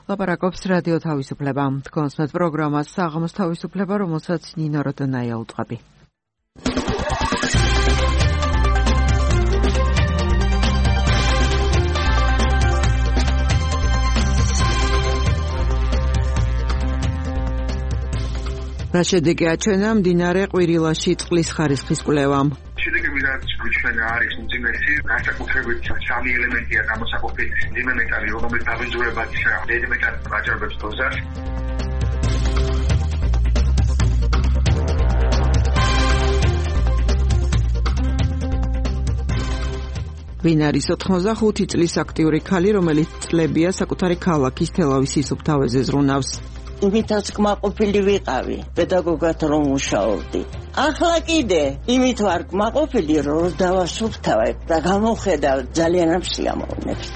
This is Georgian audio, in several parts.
ლაპარაკობს რადიო თავისუფლება. კონსმეთ პროგრამას საღამოს თავისუფლება, რომელსაც ნინო როდონაია უწყობი. რა შედეგი აჩვენა მდინარე ყვირილაში წყლის ხარისხის კვლევამ? შედეგები რაც გვიჩვენა არის უძიმესი, განსაკუთრებით სამი ელემენტია გამოსაყოფილი: მძიმე მეტალი, რომელიც დაბინძურებაც დიდი მეტალს აჭარბებს დოზას. ვინ არის 85 წლის აქტიური ქალი, რომელიც წლებია საკუთარი ქალაქის თელავის სუფთავეზე ზრუნავს? იმითაც კმაყოფილი ვიყავი, პედაგოგად რომ მუშაობდი. ახლა კიდე იმით ვარ კმაყოფილი, რომ დავასუფთავებ და გამოხედავ ძალიან ამ სიამოვნებს.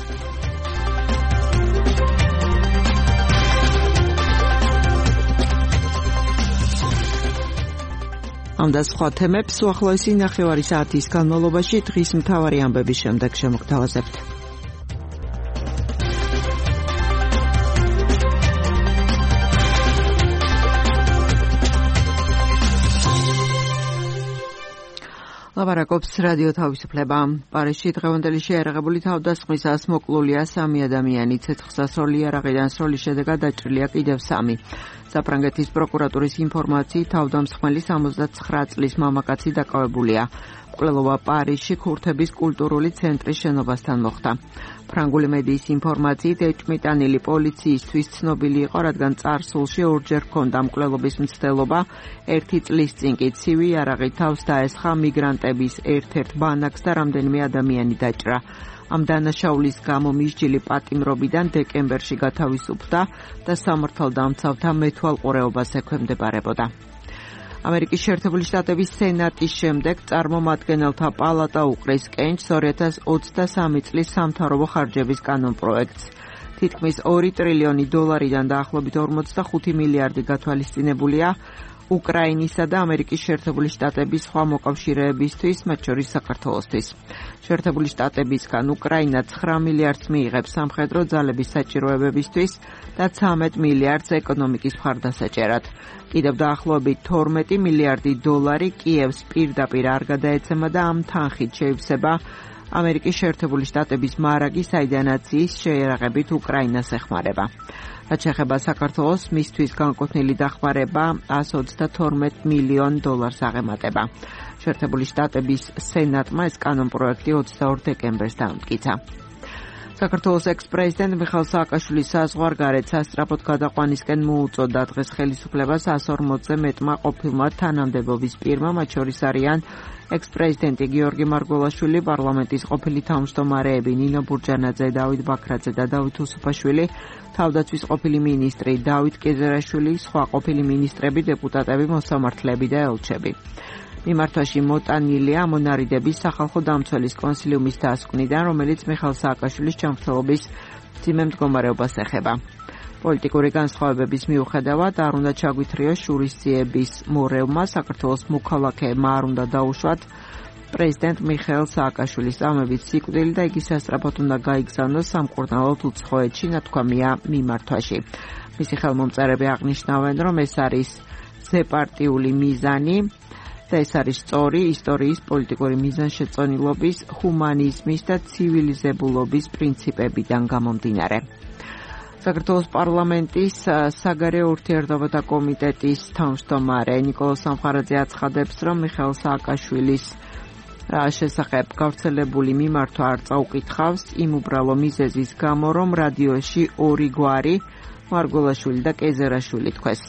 ამ და სხვა თემებს უახლოესი ნახევარი საათის განმავლობაში დღის მთავარი ამბების შემდეგ შემოგთავაზებთ. ლაპარაკობს რადიო თავისუფლება. პარიზში დღევანდელი შეიარაღებული თავდასხმისას მოკლულია 3 ადამიანი, ცეცხლსასროლი იარაღიდან სროლის შედეგად დაჭრილია კიდევ 3. საფრანგეთის პროკურატურის ინფორმაციით თავდამსხმელი 79 წლის მამაკაცი დაკავებულია. მკვლელობა პარიზში ქურთების კულტურული ცენტრის შენობასთან მოხდა. ფრანგული მედიის ინფორმაციით ეჭმიტანილი პოლიციისთვის ცნობილი იყო, რადგან წარსულში ორჯერ ჰქონდა მკვლელობის მცდელობა. 1 წლის წინ კი ცივი იარაღით თავს დაესხა მიგრანტების ერთ-ერთ ბანაკს და რამდენიმე ადამიანი დაჭრა. ამ დანაშაულის გამო მისჯილი პატიმრობიდან დეკემბერში გათავისუფლდა და სამართალდამცავთა მეთვალყურეობას ექვემდებარებოდა. ამერიკის შეერთებული შტატების სენატის შემდეგ წარმომადგენელთა პალატა უყრის კენჭს 2023 წლის სამთავრობო ხარჯების კანონპროექტს. თითქმის 2 ტრილიონი დოლარიდან დაახლოებით 45 მილიარდი გათვალისწინებულია უკრაინისა და ამერიკის შეერთებული შტატების სხვა მოკავშირეებისთვის, მათ შორის საქართველოსთვის. შეერთებული შტატებისგან უკრაინა 9 მილიარდს მიიღებს სამხედრო ძალების საჭიროებებისთვის და 13 მილიარდს ეკონომიკის მხარდასაჭერად. კიდევ დაახლოებით 12 მილიარდი დოლარი კიევს პირდაპირ არ გადაეცემა და ამ თანხით შეივსება ამერიკის შეერთებული შტატების მარაგი, საიდანაც ის შეიარაღებით უკრაინას ეხმარება. რაც შეეხება საქართველოს, მისთვის განკუთვნილი დახმარება 122 მილიონ დოლარს აღემატება. შეერთებული შტატების სენატმა ეს კანონპროექტი 22 დეკემბერს დაამტკიცა. საქართველოს ექს-პრეზიდენტ მიხეილ სააკაშვილის საზღვარგარეთ სასწრაფოდ გადაყვანისკენ მოუწოდა დღეს ხელისუფლებას 140-ზე მეტმა ყოფილმა თანამდებობის პირმა, მათ შორის არიან ექს-პრეზიდენტი გიორგი მარგველაშვილი, პარლამენტის ყოფილი თავმჯდომარეები ნინო ბურჯანაძე, დავით ბაქრაძე და დავით უსუფაშვილი, თავდაცვის ყოფილი მინისტრი დავით კეზერაშვილი, სხვა ყოფილი მინისტრები, დეპუტატები, მოსამართლეები და ელჩები. მიმართვაში მოტანილია მონარიდების სახალხო დამცველის კონსილიუმის დასკვნიდან, რომელიც მიხეილ სააკაშვილის ჯანმრთელობის მძიმე მდგომარეობას ეხება. პოლიტიკური განსხვავებების მიუხედავად არ უნდა ჩაგვითრიოს შურისძიების მორევმა, საქართველოს მოქალაქეებმა არ უნდა დაუშვათ პრეზიდენტ მიხეილ სააკაშვილის წამებით სიკვდილი და იგი სასწრაფოდ უნდა გაიგზავნოს სამკურნალოდ უცხოეთში, ნათქვამია მიმართვაში. მისი ხელმომწერები აღნიშნავენ, რომ ეს არის ზეპარტიული მიზანი და ეს არის სწორი ისტორიის პოლიტიკური მიზანშეწონილობის, ჰუმანიზმის და ცივილიზებულობის პრინციპებიდან გამომდინარე. საქართველოს პარლამენტის საგარეო ურთიერთობათა კომიტეტის თავმჯდომარე ნიკოლოზ სამხარაძე აცხადებს, რომ მიხეილ სააკაშვილის შესახებ გავრცელებული მიმართვა არ წაუკითხავს იმ უბრალო მიზეზის გამო, რომ რადიოში 2 გვარი მარგველაშვილი და კეზერაშვილი თქვეს.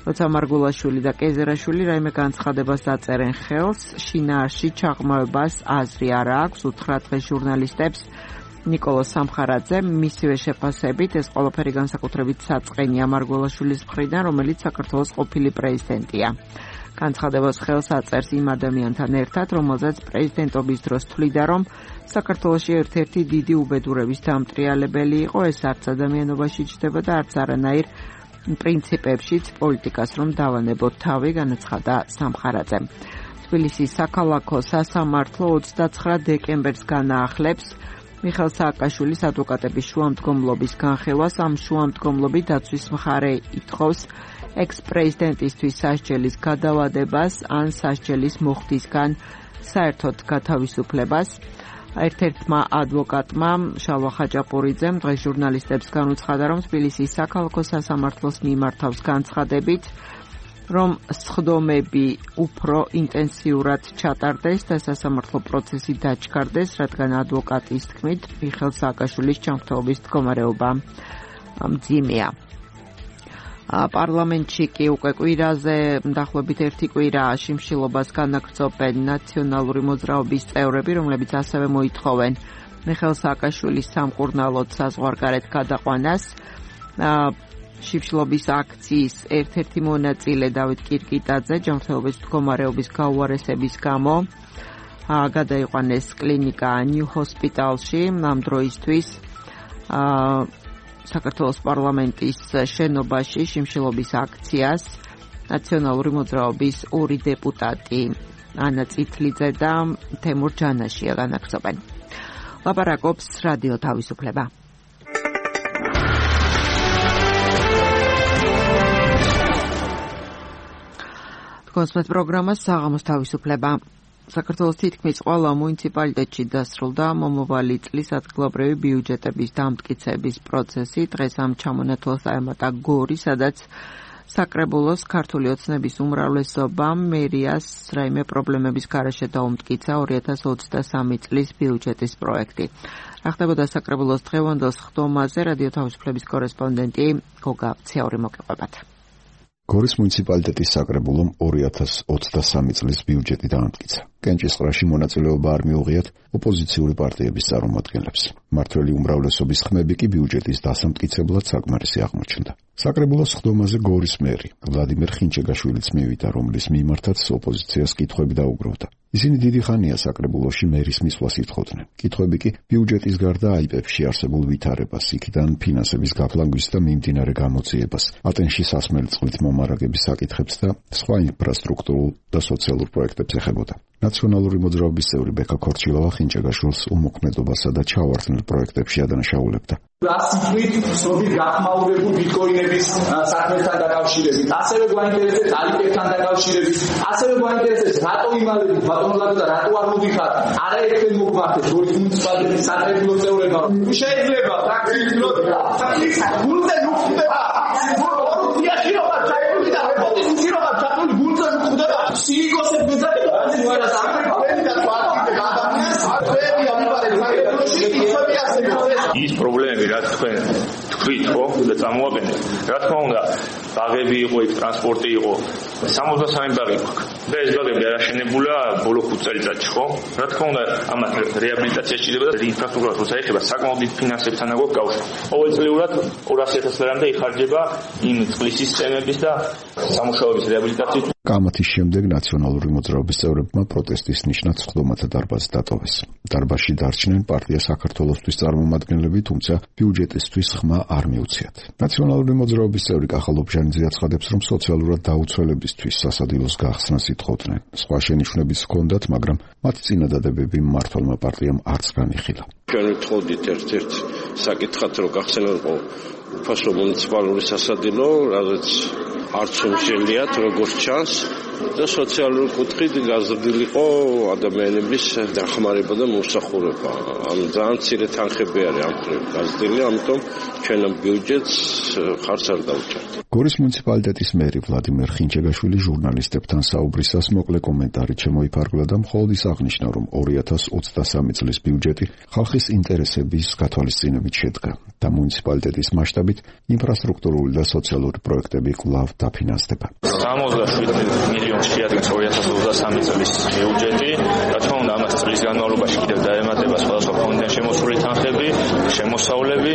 როცა მარგველაშვილი და კეზერაშვილი რაიმე განცხადებას დაწერენ ხელს, შინაარსში ჩაღრმავებას აზრი არ აქვს, უთხრა დღეს ჟურნალისტებს ნიკოლოზ სამხარაძე. მისივე შეფასებით ეს ყველაფერი განსაკუთრებით საწყენია მარგველაშვილის მხრიდან, რომელიც საქართველოს ყოფილი პრეზიდენტია. განცხადებას ხელს აწერს იმ ადამიანთან ერთად, რომელზეც პრეზიდენტობის დროს თვლიდა, რომ საქართველოში ერთ-ერთი დიდი უბედურების დამტრიალებელი იყო, ეს არც ადამიანობაში ჯდება და არც არანაირ პრინციპებშიც პოლიტიკას რომ დავანებოთ თავი, განაცხადა სამხარაძემ. თბილისის საქალაქო სასამართლო 29 დეკემბერს განაახლებს მიხეილ სააკაშვილის ადვოკატების შუამდგომლობის განხილვას. ამ შუამდგომლობით დაცვის მხარე ითხოვს ექს-პრეზიდენტისთვის სასჯელის გადავადებას ან სასჯელის მოხდისგან საერთოდ გათავისუფლებას. ერთ-ერთმა ადვოკატმა შალვა ხაჭაპურიძემ დღეს ჟურნალისტებს განუცხადა, რომ თბილისის საქალაქო სასამართლოს მიმართავს განცხადებით, რომ სხდომები უფრო ინტენსიურად ჩატარდეს და სასამართლო პროცესი დაჩქარდეს, რადგან ადვოკატის თქმით, მიხეილ სააკაშვილის ჯანმრთელობის მდგომარეობა მძიმეა. პარლამენტში კი უკვე კვირაზე დაახლოებით 1 კვირა შიმშილობას განაგრძობენ ნაციონალური მოძრაობის წევრები, რომლებიც ასევე მოითხოვენ მიხეილ სააკაშვილის სამკურნალოდ საზღვარგარეთ გადაყვანას. შიმშილობის აქციის ერთ-ერთი მონაწილე დავით კირკიტაძე ჯანმრთელობის მდგომარეობის გაუარესების გამო გადაიყვანეს კლინიკა ნიუ ჰოსპიტალში. ამ დროისთვის საქართველოს პარლამენტის შენობაში შიმშილობის აქციას ნაციონალური მოძრაობის 2 დეპუტატი ანა წითლიძე და თემურ ჯანაშია განაგრძობენ. ლაპარაკობს რადიო თავისუფლება. კონსმეთ პროგრამა საღამოს თავისუფლება. საქართველოს თითქმის ყველა მუნიციპალიტეტში დასრულდა მომავალი წლის ადგილობრივი ბიუჯეტების დამტკიცების პროცესი. დღეს ამ ჩამონათვალს დაემატა გორი, სადაც საკრებულოს ქართული ოცნების უმრავლესობამ მერიას რაიმე პრობლემების გარეშე დაუმტკიცა 2023 წლის ბიუჯეტის პროექტი. რა ხდებოდა საკრებულოს დღევანდელ სხდომაზე რადიო თავისუფლების კორესპონდენტი გოგა ციაური მოგეყვებათ. გორის მუნიციპალიტეტის საკრებულომ 2023 წლის ბიუჯეტი დაამტკიცა. კენჭისყრაში მონაწილეობა არ მიუღიათ ოპოზიციური პარტიების წარმომადგენლებს. მმართველი უმრავლესობის ხმები კი ბიუჯეტის დასამტკიცებლად საკმარისი აღმოჩნდა. საკრებულოს სხდომაზე გორის მერი ვლადიმერ ხინჩეგაშვილიც მივიდა, რომლის მიმართაც ოპოზიციას კითხვები დაუგროვდა. ისინი დიდი ხანია საკრებულოში მერის მისვლას ითხოვდნენ. კითხვები კი ბიუჯეტის გარდა აიპებში არსებულ ვითარებას, იქიდან ფინანსების გაფლანგვის და მიმდინარე გამოძიებას, ატენში სასმელი წყლით მომარაგების საკითხებს და სხვა ინფრასტრუქტურულ და სოციალურ პროექტებს ეხებოდა. ნაციონალური მოძრაობის წევრი ბექა ქორჩილოვა ხინჩეგაშვილს უმოქმედობასა და ჩავარდნილ პროექტებში ადანაშაულებდა. ასიფრით სროგი გახმაურებულ ბიტკოინების საქმესთან დაკავშირებით, ასევე გვაინტერესებს ალიპებთან დაკავშირებით, ასევე გვაინტერესებს რატო იმალებით ბატონლად და რატო არ მოდიხარ არაერთი მოგმართეთ გორის მუნიციპალიტეტის საკრებულო წევრებმა. შეიძლება ფაქტიურად გულზე ნუხდება ორუციაში რომ ჩაიყვანდა და ოპოზიციაში რომ ჩაიყვანდა გულზე ნუხდება სიგოსებს მეზაკი და ასე ვარა საკრებულები და პარტიები გადამნეს ათვეები ამიბარეთ საკრებულოში ისები ასე ის პრობლემები რაც თქვენ თქვით ხო და წამოაყენეთ რა თქმა უნდა ბაღები იყო იქ ტრანსპორტი იყო 63 ბაღი გვაქვს და ეს ბაღები არაშენებულა ბოლო 5 წელიწადში ხო რა თქმა უნდა ამათ რეაბილიტაცია სჭირდება და ინფრასტრუქტურას როცა ეხება საკმაოდ დიდ ფინანსებთან აქვს კავშირი ყოველწლიურად 200,000 ლარამდე იხარჯება იმ წყლის სისტემების და სამუშაოების რეაბილიტაციის. კამათის შემდეგ ნაციონალური მოძრაობის წევრებმა პროტესტის ნიშნად სხდომათა დარბაზი დატოვეს. დარბაზში დარჩნენ პარტია საქართველოსთვის წარმომადგენლები, თუმცა ბიუჯეტისთვის ხმა არ მიუციათ. ნაციონალური მოძრაობის წევრი კახა ლობჟანიძე აცხადებს, რომ სოციალურად დაუცველებისთვის სასადილოს გახსნას ითხოვდნენ. სხვა შენიშვნებიც ჰქონდათ, მაგრამ მათი წინადადებები მმართველმა პარტიამ არც განიხილა. ჩვენ ვთხოვდით ერთ-ერთ საკითხად, რომ გახსენილიყო უფასო მუნიციპალური სასადილო, რაც არც უმშელიათ როგორც ჩანს და სოციალური კუთხით გაზრდილიყო ადამიანების დახმარება და მოსახურება. ამ ძალიან მცირე თანხები არის ამ მხრივ გაზრდილი, ამიტომ ჩვენ ამ ბიუჯეტს ხარც არ დავჭერთ. გორის მუნიციპალიტეტის მერი ვლადიმერ ხინჩეგაშვილი ჟურნალისტებთან საუბრისას მოკლე კომენტარით შემოიფარგლა და მხოლოდ ის აღნიშნა, რომ 2023 წლის ბიუჯეტი ხალხის ინტერესების გათვალისწინებით შედგა და მუნიციპალიტეტის მასშტაბით ინფრასტრუქტურული და სოციალური პროექტები კვლავ დაფინანსდება. 67 მილიონი შეადგენს 2023 წლის ბიუჯეტი. რა თქმა უნდა, ამას წლის განმავლობაში კიდევ დაემატება სხვადასხვა ფონდიდან შემოსული თანხები, შემოსავლები.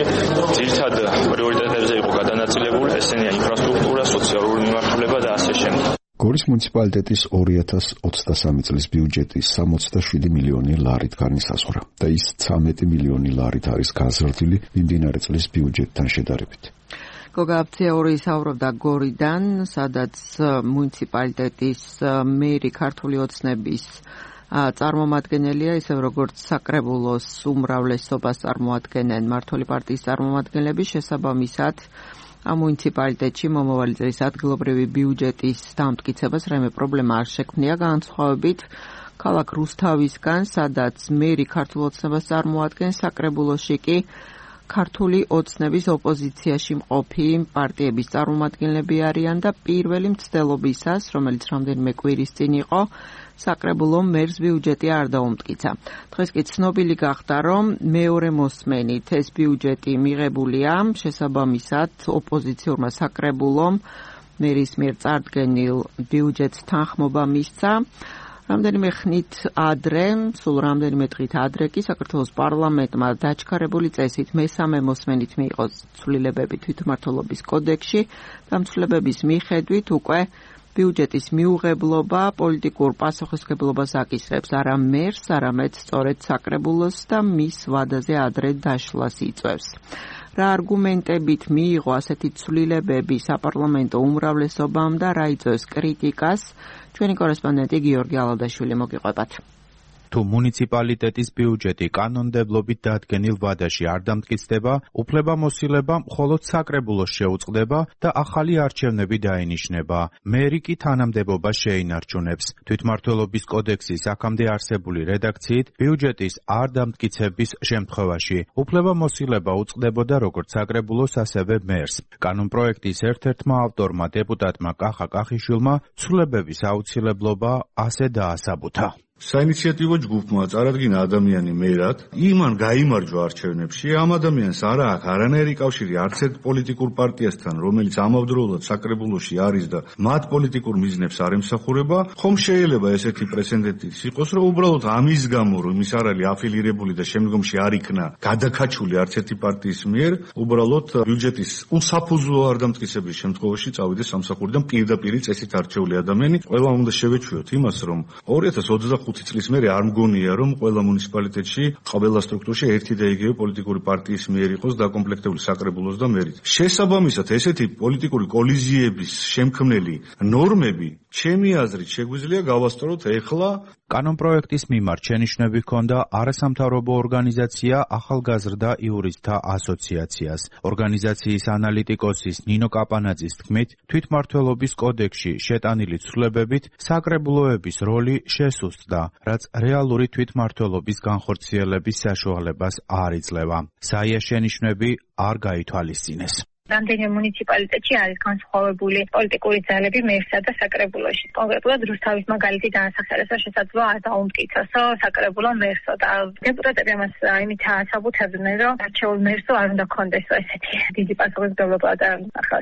ძირითად პრიორიტეტებზე იყო გადანაწილებული, ესენია ინფრასტრუქტურა, სოციალური მიმართულება და ასე შემდეგ. გორის მუნიციპალიტეტის 2023 წლის ბიუჯეტი 67 მილიონი ლარით განისაზღვრა და ის 13 მილიონი ლარით არის გაზრდილი მიმდინარე წლის ბიუჯეტთან შედარებით. გოგა ციაური საუბრობდა გორიდან, სადაც მუნიციპალიტეტის მერი ქართული ოცნების წარმომადგენელია, ისევ როგორც საკრებულოს უმრავლესობას წარმოადგენენ მმართველი პარტიის წარმომადგენლები, შესაბამისად ამ მუნიციპალიტეტში მომავალი წლის ადგილობრივი ბიუჯეტის დამტკიცებას რაიმე პრობლემა არ შექმნია, განსხვავებით ქალაქ რუსთავისგან, სადაც მერი ქართულ ოცნებას წარმოადგენს, საკრებულოში კი ქართული ოცნების ოპოზიციაში მყოფი პარტიების წარმომადგენლები არიან და პირველი მცდელობისას, რომელიც რამდენიმე კვირის წინ იყო, საკრებულომ მერს ბიუჯეტი არ დაუმტკიცა. დღეს კი ცნობილი გახდა, რომ მეორე მოსმენით ეს ბიუჯეტი მიღებულია, შესაბამისად ოპოზიციურმა საკრებულომ მერის მიერ წარდგენილ ბიუჯეტს თანხმობა მისცა. რამდენიმე ხნით ადრე, სულ რამდენიმე დღით ადრე კი საქართველოს პარლამენტმა დაჩქარებული წესით მესამე მოსმენით მიიღო ცვლილებები თვითმმართველობის კოდექსში და ცვლილებების მიხედვით უკვე ბიუჯეტის მიუღებლობა პოლიტიკურ პასუხისმგებლობას აკისრებს არა მერს, არამედ სწორედ საკრებულოს და მის ვადაზე ადრე დაშლას იწვევს. რა არგუმენტებით მიიღო ასეთი ცვლილებები საპარლამენტო უმრავლესობამ და რა იწვევს კრიტიკას, ჩვენი კორესპონდენტი გიორგი ალადაშვილი მოგიყვებათ. თუ მუნიციპალიტეტის ბიუჯეტი კანონმდებლობით დადგენილ ვადაში არ დამტკიცდება, უფლებამოსილება მხოლოდ საკრებულოს შეუწყდება და ახალი არჩევნები დაინიშნება. მერი კი თანამდებობას შეინარჩუნებს. თვითმმართველობის კოდექსის აქამდე არსებული რედაქციით ბიუჯეტის არ დამტკიცების შემთხვევაში უფლებამოსილება უწყდებოდა როგორც საკრებულოს, ასევე მერს. კანონპროექტის ერთ-ერთმა ავტორმა დეპუტატმა კახა კახიშვილმა ცვლილებების აუცილებლობა ასე დაასაბუთა. საინიციატივო ჯგუფმა წარადგინა ადამიანი მერად, იმან გაიმარჯვა არჩევნებში, ამ ადამიანს არ აქვს არანაირი კავშირი არც ერთ პოლიტიკურ პარტიასთან, რომელიც ამავდროულად საკრებულოში არის და მათ პოლიტიკურ მიზნებს არ ემსახურება, ხომ შეიძლება ესეთი პრეცედენტი იყოს, რომ უბრალოდ ამის გამო, რომ ის არ არის აფილირებული და შემდგომში არ იქნა გადაკაჩული არც ერთი პარტიის მიერ, უბრალოდ ბიუჯეტის უსაფუძვლო არ დამტკიცების შემთხვევაში წავიდეს სამსახურიდან პირდაპირ წესით არჩეული ადამიანი. ყველა უნდა შევეჩვიოთ იმას, რომ 2025 წლის მერე არ მგონია, რომ ყველა მუნიციპალიტეტში, ყველა სტრუქტურაში ერთი და იგივე პოლიტიკური პარტიის მიერ იყოს დაკომპლექტებული საკრებულოს და მერით. შესაბამისად, ესეთი პოლიტიკური კოლიზიების შემქმნელი ნორმები, ჩემი აზრით, შეგვიძლია გავასწოროთ ეხლა. კანონპროექტის მიმართ შენიშვნები ჰქონდა არასამთავრობო ორგანიზაცია ახალგაზრდა იურისტთა ასოციაციას. ორგანიზაციის ანალიტიკოსის ნინო კაპანაძის თქმით, თვითმმართველობის კოდექსში შეტანილი ცვლილებებით საკრებულოების როლი შესუსტდა, რაც რეალური თვითმმართველობის განხორციელების საშუალებას არ იძლევა. საია შენიშვნები არ გაითვალისწინეს. რამდენიმე მუნიციპალიტეტში არის განსხვავებული პოლიტიკური ძალები მერსა და საკრებულოში. კონკრეტულად რუსთავის მაგალითი განასახიერებდა შესაძლოა არ დაუმტკიცოსო საკრებულო მერსო და დეპუტატები ამას იმით ასაბუთებდნენ, რომ არჩეულ მერსო არ უნდა ქონდეს ესეთი დიდი პასუხისმგებლობა და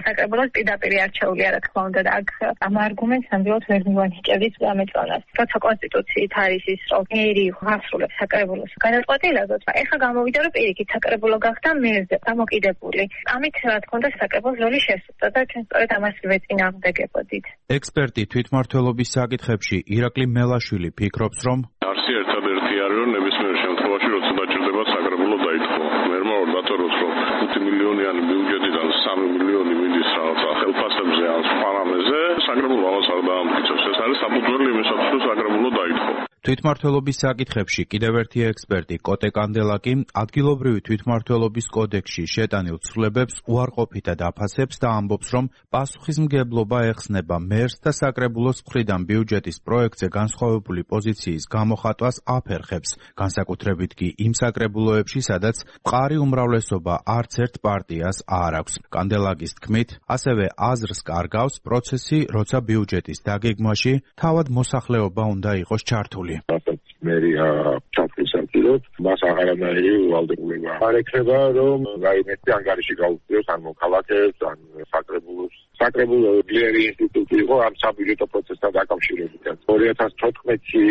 საკრებულოს პირდაპირ არჩეული არა თქმა უნდა და აქ ამ არგუმენტს ნამდვილად ვერ მივანიჭებთ ამეწონას. როცა კონსტიტუციით არის ის, რომ მერი აღსრულებს საკრებულოს განაცხადებულად, ეხლა გამოვიდა, რომ პირიქით საკრებულო გახდა მერზე დამოკიდებული. ამით და საკრებულოს როლი შესუსტდა და ჩვენ სწორედ ამას ვეწინააღმდეგებოდით. ექსპერტი თვითმმართველობის საკითხებში ირაკლი მელაშვილი ფიქრობს, რომ არსი ერთადერთი არის, რომ ნებისმიერ შემთხვევაში, როცა დაჭირდება საკრებულო დაითხოვა. მერმა არ დათოროს, რომ 5 მილიონიანი ბიუჯეტიდან 3 მილიონი მიდის რაღაცა ხელფასებზე ან სხვა რამეზე, საკრებულო ამას არ დაამტკიცებს. ეს არის საფუძველი იმისათვის, რომ საკრებულო დაითხოვა. თვითმმართველობის საკითხებში კიდევ ერთი ექსპერტი კოტე კანდელაკი ადგილობრივი თვითმმართველობის კოდექსში შეტანილ ცვლილებებს უარყოფითად აფასებს და ამბობს, რომ პასუხისმგებლობა ეხსნება მერს და საკრებულოს მხრიდან ბიუჯეტის პროექტზე განსხვავებული პოზიციის გამოხატვას აფერხებს, განსაკუთრებით კი იმ საკრებულოებში, სადაც მყარი უმრავლესობა არც ერთ პარტიას არ აქვს. კანდელაკის თქმით, ასევე აზრს კარგავს პროცესი, როცა ბიუჯეტის დაგეგმვაში თავად მოსახლეობა უნდა იყოს ჩართული. მერია ჩაფრისაკილოთ, მას აღარანაირი ვალდებულება არ ექნება, რომ რაიმეთი ანგარიში გაუწიოს ან მოქალაქეებს, ან საკრებულოს. საკრებულო ძლიერი ინსტიტუტი იყო ამ საბიუჯეტო პროცესთან დაკავშირებით. 2014-ში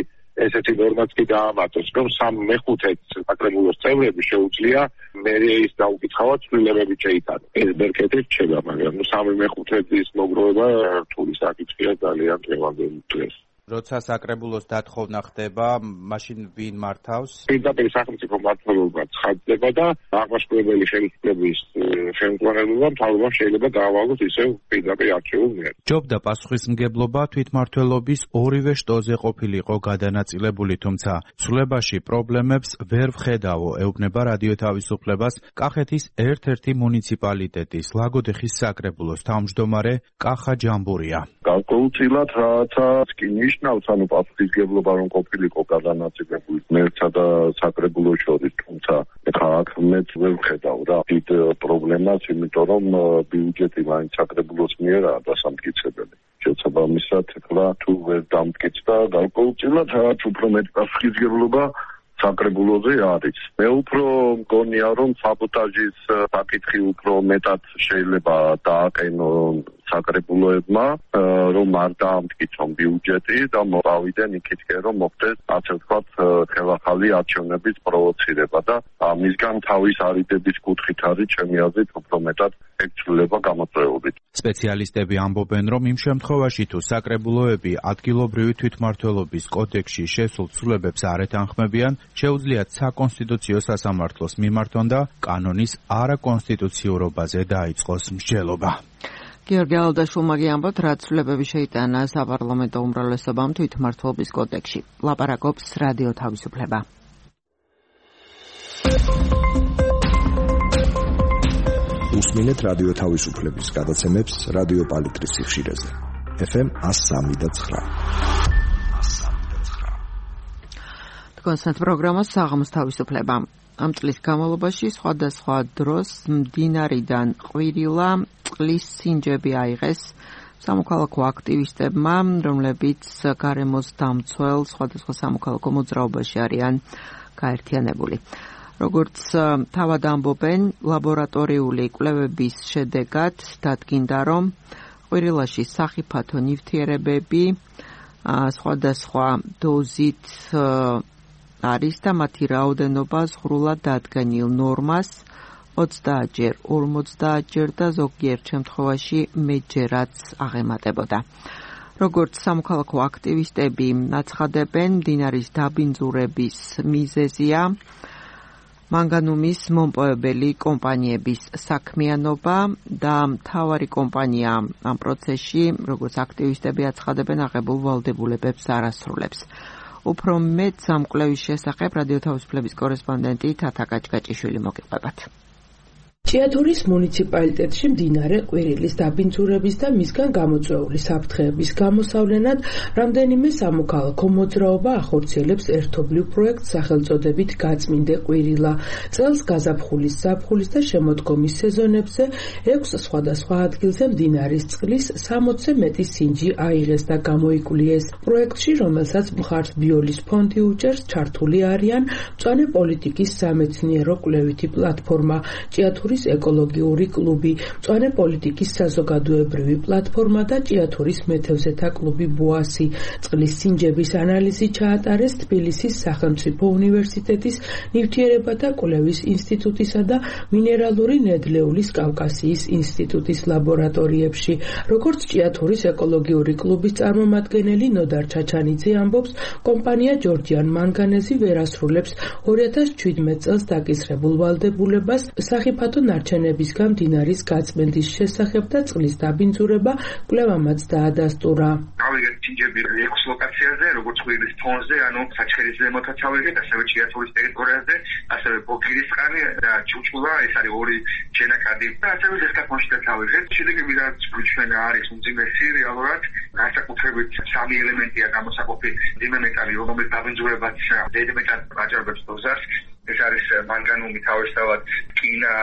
ესეთი ნორმაც კი დაამატოს, რომ 3/5 საკრებულოს წევრები შეუძლია მერიის დაუკითხავად ცვლილებები შეიტანოს. ეს ბერკეტი რჩება, მაგრამ 3/5-ის მოგროვება რთული საკითხია ძალიან დღევანდელ დღეს. როცა საკრებულოს დათხოვნა ხდება, მაშინ ვინ მართავს? პირდაპირ სახელმწიფო მმართველობა ცხადდება და აღმასრულებელი ხელისუფლების ხელმძღვანელობა მთავრობამ შეიძლება დაავალოს ისევ პირდაპირ არჩეულ მიერ. ჯობდა პასუხისმგებლობა თვითმმართველობის ორივე შტოზე ყოფილიყო გადანაწილებული, თუმცა ცვლილებაში პრობლემებს ვერ ვხედავო, ეუბნება რადიო თავისუფლებას კახეთის ერთ-ერთი მუნიციპალიტეტის ლაგოდეხის საკრებულოს თავმჯდომარე კახა ჯამბურია. Გავკუთილად რააცაც კი ნიშნავს, ანუ პასუხისმგებლობა რომ ყოფილიყო გადანაწილებული მერცსა და საკრებულოს შორის, თუმცა ეხლა აქ მეც ვერ ვხედავ რა დიდ პრობლემას, იმიტომ რომ ბიუჯეტი მაინც საკრებულოს მიერაა დასამტკიცებელი. შესაბამისად, ეხლა თუ ვერ დამტკიცდა, გავკუთილად რაც უფრო მეტ პასუხისმგებლობა საკრებულოზე არის. მე უფრო მგონია, რომ საბოტაჟის საკითხი უფრო მეტად შეიძლება დააყენონ საკრებულოებმა, რომ არ დაამტკიცონ ბიუჯეტი და მოვავიდნენ იქითკენ, რომ მოხდეს ასე ვთქვათ ხელახალი არჩევნების პროვოცირება და ამისგან თავის არიდების კუთხით არის ჩემი აზრით უფრო მეტად ექცვლება გამოწვეული. სპეციალისტები ამბობენ, რომ იმ შემთხვევაში თუ საკრებულოები ადგილობრივი თვითმმართველობის კოდექსში შესულ ცვლილებებს არ ეთანხმებიან, შეუძლიათ საკონსტიტუციო სასამართლოს მიმართონ და კანონის არაკონსტიტუციურობაზე დაიწყოს მსჯელობა. გიორგი ალდაშვილმა გიამბობთ, რა ცვლილებები შეიტანა საპარლამენტო უმრავლესობამ თვითმმართველობის კოდექსში. ლაპარაკობს რადიო თავისუფლება. უსმინეთ რადიო თავისუფლების გადაცემებს რადიო პალიტრის სიხშირეზე. FM 103.9. კონსერტ პროგრამა საღამოს თავისუფლება. ამ წლის განმავლობაში სხვადასხვა დროს მდინარიდან ყვირილა წყლის სინჯები აიღეს სამოქალაქო აქტივისტებმა, რომლებიც გარემოს დამცველ სხვადასხვა სამოქალაქო მოძრაობაში არიან გაერთიანებული. როგორც თავად ამბობენ, ლაბორატორიული კვლევების შედეგად დადგინდა, რომ ყვირილაში სახიფათო ნივთიერებები სხვადასხვა დოზით არის და მათი რაოდენობა ზღვრულად დადგენილ ნორმას 30-ჯერ, 50-ჯერ და ზოგიერთ შემთხვევაში მეტჯერაც აღემატებოდა. როგორც სამოქალაქო აქტივისტები აცხადებენ, მდინარის დაბინძურების მიზეზია მანგანუმის მომპოვებელი კომპანიების საქმიანობა და მთავარი კომპანია ამ პროცესში, როგორც აქტივისტები აცხადებენ, აღებულ ვალდებულებებს არ ასრულებს. უფრო მეტ ამ კვლევის შესახებ რადიო თავისუფლების კორესპონდენტი თათა კაჭკაჭიშვილი მოგიყვებათ. ჭიათურის მუნიციპალიტეტში მდინარე ყვირილის დაბინძურების და მისგან გამოწვეული საფრთხეების გამოსავლენად რამდენიმე სამოქალაქო მოძრაობა ახორციელებს ერთობლივ პროექტს სახელწოდებით გაწმინდე ყვირილა. წელს გაზაფხულის, ზაფხულის და შემოდგომის სეზონებზე 6 სხვადასხვა ადგილზე მდინარის წყლის 60-ზე მეტი სინჯი აიღეს და გამოიკულიეს. პროექტში, რომელსაც მხარს ბიოლის ფონდი უჭერს, ჩართული არიან მწვანე პოლიტიკის სამეცნიერო კვლევითი პლატფორმა, ჭიათურის ეკოლოგიური კლუბი, მწვანე პოლიტიკის საზოგადოებრივი პლატფორმა და ჭიათურის მეთევზეთა კლუბი ბოასი. წყლის სინჯების ანალიზი ჩაატარეს თბილისის სახელმწიფო უნივერსიტეტის ნივთიერებათა კვლევის ინსტიტუტისა და მინერალური ნედლეულის კავკასიის ინსტიტუტის ლაბორატორიებში. როგორც ჭიათურის ეკოლოგიური კლუბის წარმომადგენელი ნოდარ ჩაჩანიძე ამბობს, კომპანია ჯორჯიან მანგანეზი ვერ ასრულებს 2017 წელს დაკისრებულ ვალდებულებას სახიფათო ნარჩენებისგან მდინარის გაწმენდის შესახებ და წყლის დაბინძურება კვლევამაც დაადასტურა. ავიღეთ სინჯები 6 ლოკაციაზე, როგორც ყვირილის თონზე, ანუ საჩხერის ზემოთაც ავიღეთ, ასევე ჭიათურის ტერიტორიაზე, ასევე ბოქირისწყალი და ჩუჩულა, ეს არის 2 შენაკადი და ასევე ზესტაფონშიც ავიღეთ. შედეგები რაც ჩვენ არის უმძიმესი რეალურად, განსაკუთრებით 3 ელემენტია გამოსაყოფი მძიმე მეტალი, რომელიც დაბინძურებაც დედმეტად აჭარბებს დოზას. ეს არის მანგანუმი, თავისთავად რკინა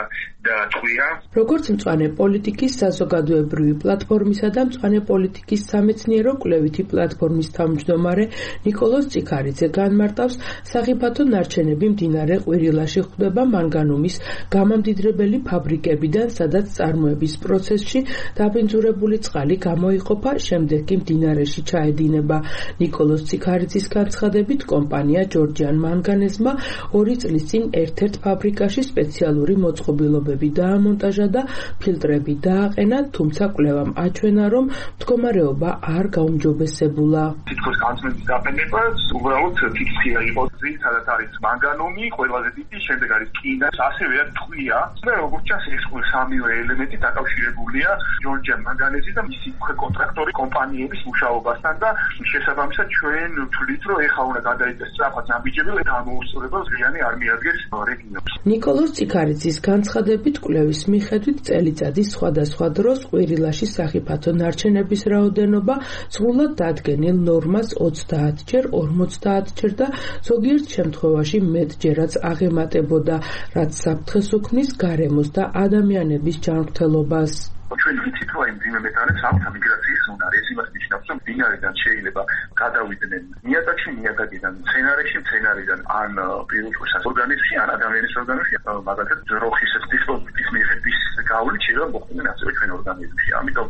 და ტყვია. როგორც მწვანე პოლიტიკის საზოგადოებრივი პლატფორმისა და მწვანე პოლიტიკის სამეცნიერო კვლევითი პლატფორმის თავმჯდომარე ნიკოლოზ წიქარიძე განმარტავს, სახიფათო ნარჩენები მდინარე ყვირილაში ხვდება მანგანუმის გამამდიდრებელი ფაბრიკებიდან, სადაც წარმოების პროცესში დაბინძურებული წყალი გამოიყოფა, შემდეგ კი მდინარეში ჩაედინება. ნიკოლოზ წიქარიძის განცხადებით, კომპანია ჯორჯიან მანგანეზმა 2 წლის წინ ერთ-ერთ ფაბრიკაში სპეციალური მოწყობილობები დაამონტაჟა და ფილტრები დააყენა, თუმცა კვლევამ აჩვენა, რომ მდგომარეობა არ გაუმჯობესებულა. თითქოს განცმების დაყენება უბრალოდ ფიქსია იყო. ძირითადად არის მანგანუმი, ყველაზე დიდი, შემდეგ არის კინა, ასევე ტყვია. და როგორც ჩანს, ეს სამივე ელემენტი დაკავშირებულია ჯორჯიან მანგანეზის და მისი კონტრაქტორი კომპანიების მუშაობასთან და შესაბამისად ჩვენ ვთვლით, რომ ეხლა უნდა გადაიწეროს სწრაფად ნაბიჯები და ამოუსწრება ზრიანი არ მიადგეს რეგიონს. ნიკოლოზ წიქარიძის განცხადებით, კვლევის მიხედვით წელიწადის სხვადასხვა დროს ყვირილაში სახიფათო ნარჩენების რაოდენობა სრულად დადგენილ ნორმას 30-ჯერ, 50-ჯერ და ზოგიერთ შემთხვევაში მეტჯერაც აღემატებოდა, რაც საფრთხეს უქმნის გარემოს და ადამიანების ჯანმრთელობას. ჩვენ ვიცით, რომ მძიმე მეტალებს აქვს მიგრაციის უნარი. ეს იმას ნიშნავს, რომ მდინარიდან შეიძლება გადავიდნენ ნიადაგში, ნიადაგიდან მცენარეში, მცენარიდან ან პირუტყვის ორგანიზმში, ან ადამიანის ორგანიზმში, მაგალითად ძროხის დისპოზიტის მიღების გავლით შეიძლება მოხვდნენ ასევე ჩვენ ორგანიზმში. ამიტომ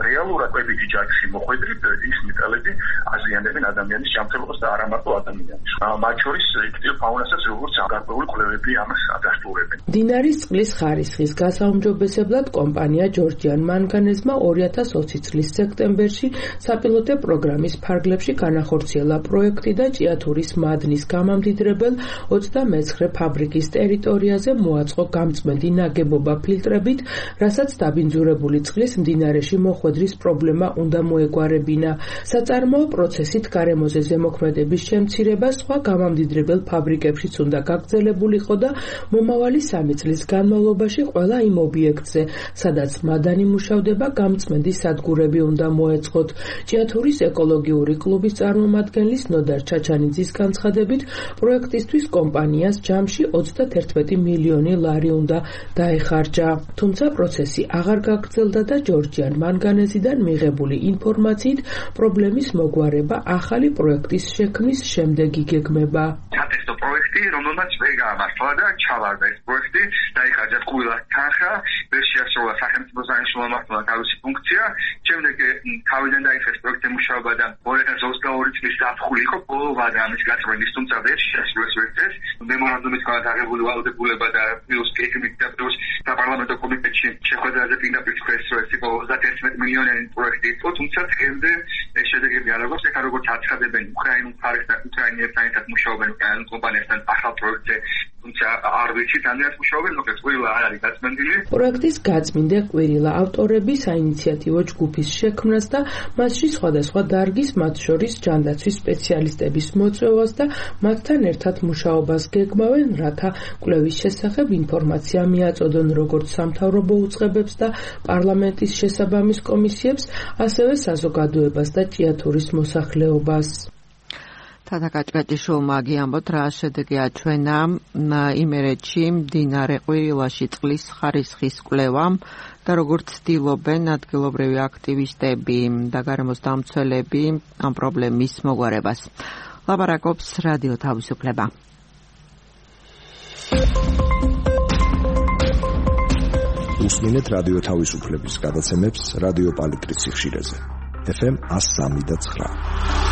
რეალურად კვებითი ჯაჭვში მოხვედრით ის მეტალები აზიანებენ ადამიანის ჯანმრთელობას და არა მარტო ადამიანის. მათ შორის იკტიო ფაუნასაც როგორც გარკვეული კვლევები ამას ადასტურებენ. მდინარის წყლის ხარისხის გასაუმჯობესებლად კომპანია ჯორჯიან მანგანეზმა 2020 წლის სექტემბერში საპილოტე პროგრამის ფარგლებში განახორციელა პროექტი და ჭიათურის მადნის გამამდიდრებელ 29 ფაბრიკის ტერიტორიაზე მოაწყო გამწმენდი ნაგებობა ფილტრებით, რასაც დაბინძურებული წყლის მდინარეში მოხვედრის პრობლემა უნდა მოეგვარებინა. საწარმოო პროცესით გარემოზე ზემოქმედების შემცირება სხვა გამამდიდრებელ ფაბრიკებშიც უნდა გაგრძელებულიყო და მომავალი 3 წლის განმავლობაში ყველა იმ ობიექტზე, სადაც მადანი მუშავდება, გამწმენდი სადგურები უნდა მოეწყოთ. ჭიათურის ეკოლოგიური კლუბის წარმომადგენლის ნოდარ ჩაჩანიძის განცხადებით, პროექტისთვის კომპანიას ჯამში 31 მილიონი ლარი უნდა დაეხარჯა. თუმცა პროცესი აღარ გაგრძელდა და ჯორჯიან მანგანეზიდან მიღებული ინფორმაციით პრობლემის მოგვარება ახალი პროექტის შექმნის შემდეგ იგეგმება. სატესტო პროექტი, რომელმაც ვერ გაამართლა და ჩავარდა ეს პროექტი, დაიხარჯა ყველა თანხა, ვერ შეასრულა სახელმწიფო საინჟინრო თავისი ფუნქცია. შემდეგ თავიდან დაიწყეს პროექტის მუშაობა და 2022 წლის ზაფხული იყო ბოლოვადა ამის გაწმენდის, თუმცა ვერ შეასრულეს ვერცეს. მემორანდუმით განადგურებული ვალდებულება და პლუს გეგმით და პლუს საპარლამენტო კომიტეტში შეხვედრაზე პირდაპირ თქვეს, რომ ეს იყო 31 მილიონიანი პროექტი იყო, თუმცა დღემდე ეს შედეგები არ აქვს. ეხლა როგორც აცხადებენ უკრაინულ მხარესთან, უკრაინელებთან ერთად მუშაობენ უკრაინულ კომპანიასთან ახალ პროექტზე, თუმცა არ ვიცით ამას მუშაობენ, მოკლედ ყვირილა არ არის გაწმენდილი. პროექტის გაწმინდა ყვირილა ავტორები საინიციატივო ჯგუფის შექმნას და მასში სხვადასხვა დარგის, მათ შორის ჯანდაცვის სპეციალისტების მოწვევას და მათთან ერთად მუშაობას გეგმავენ, რათა კვლევის შესახებ ინფორმაცია მიაწოდონ როგორც სამთავრობო უწყებებს და პარლამენტის შესაბამის კომისიებს, ასევე საზოგადოებას და ჭიათურის მოსახლეობას. თათაკაჭკაჭიშვილმა გიამბოთ, რა შედეგი აჩვენა იმერეთში მდინარე ყვირილაში წყლის ხარისხის კვლევამ და როგორც ცდილობენ ადგილობრივი აქტივისტები და გარემოს დამცველები ამ პრობლემის მოგვარებას. ლაპარაკობს რადიო თავისუფლება. უსმინეთ რადიო თავისუფლების გადაცემებს რადიო პალიტრის სიხშირეზე. FM 103.9.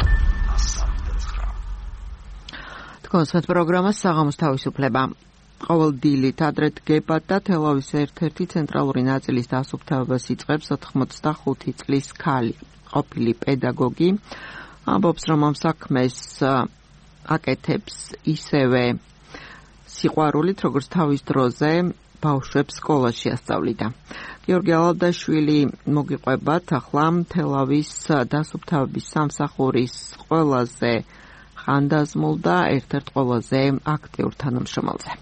კონსერტ პროგრამა საღამოს თავისუფლება. ყოველ დილით ადრე დგება და თელავის ერთ-ერთი ცენტრალური ნაწილის დასუფთავებას იწყებს 85 წლის ქალი, ყოფილი პედაგოგი. ამბობს, რომ ამ საქმეს აკეთებს ისევე სიყვარულით, როგორც თავის დროზე ბავშვებს სკოლაში ასწავლიდა. გიორგი ალავდაშვილი მოგიყვებათ ახლა თელავის დასუფთავების სამსახურის ყველაზე ხანდაზმულ და ერთ-ერთ ყველაზე აქტიურ თანამშრომელზე.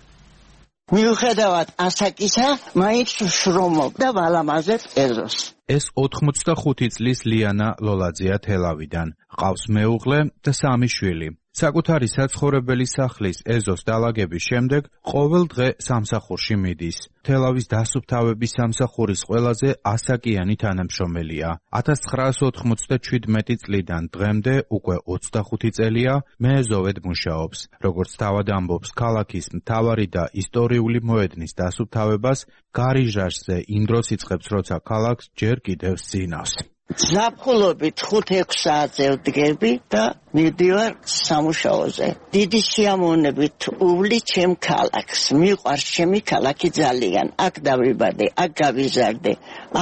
მიუხედავად ასაკისა, მაინც შრომობდა ვალამაზებს ეზოს. ეს 85 წლის ლიანა ლოლაძეა თელავიდან. ყავს მეუღლე და 3 შვილი. საკუთარი საცხოვრებელი სახლის ეზოს დალაგების შემდეგ ყოველ დღე სამსახურში მიდის. თელავის დასუფთავების სამსახურის ყველაზე ასაკიანი თანამშრომელია. 1997 წლიდან დღემდე უკვე 25 წელია მეეზოვედ მუშაობს. როგორც თავად ამბობს, ქალაქის მთავარი და ისტორიული მოედნის დასუფთავებას გარიჟაშზე იმ დროს იწყებს, როცა ქალაქს ჯერ კიდევ სინავს. ზაფხულობით 5-6 საათზე ვდგები და მივდივარ სამუშაოზე. დიდი სიამოვნებით უვლი ჩემ ქალაქს. მიყვარს ჩემი ქალაქი ძალიან. აქ დავიბადე, აქ გავიზარდე.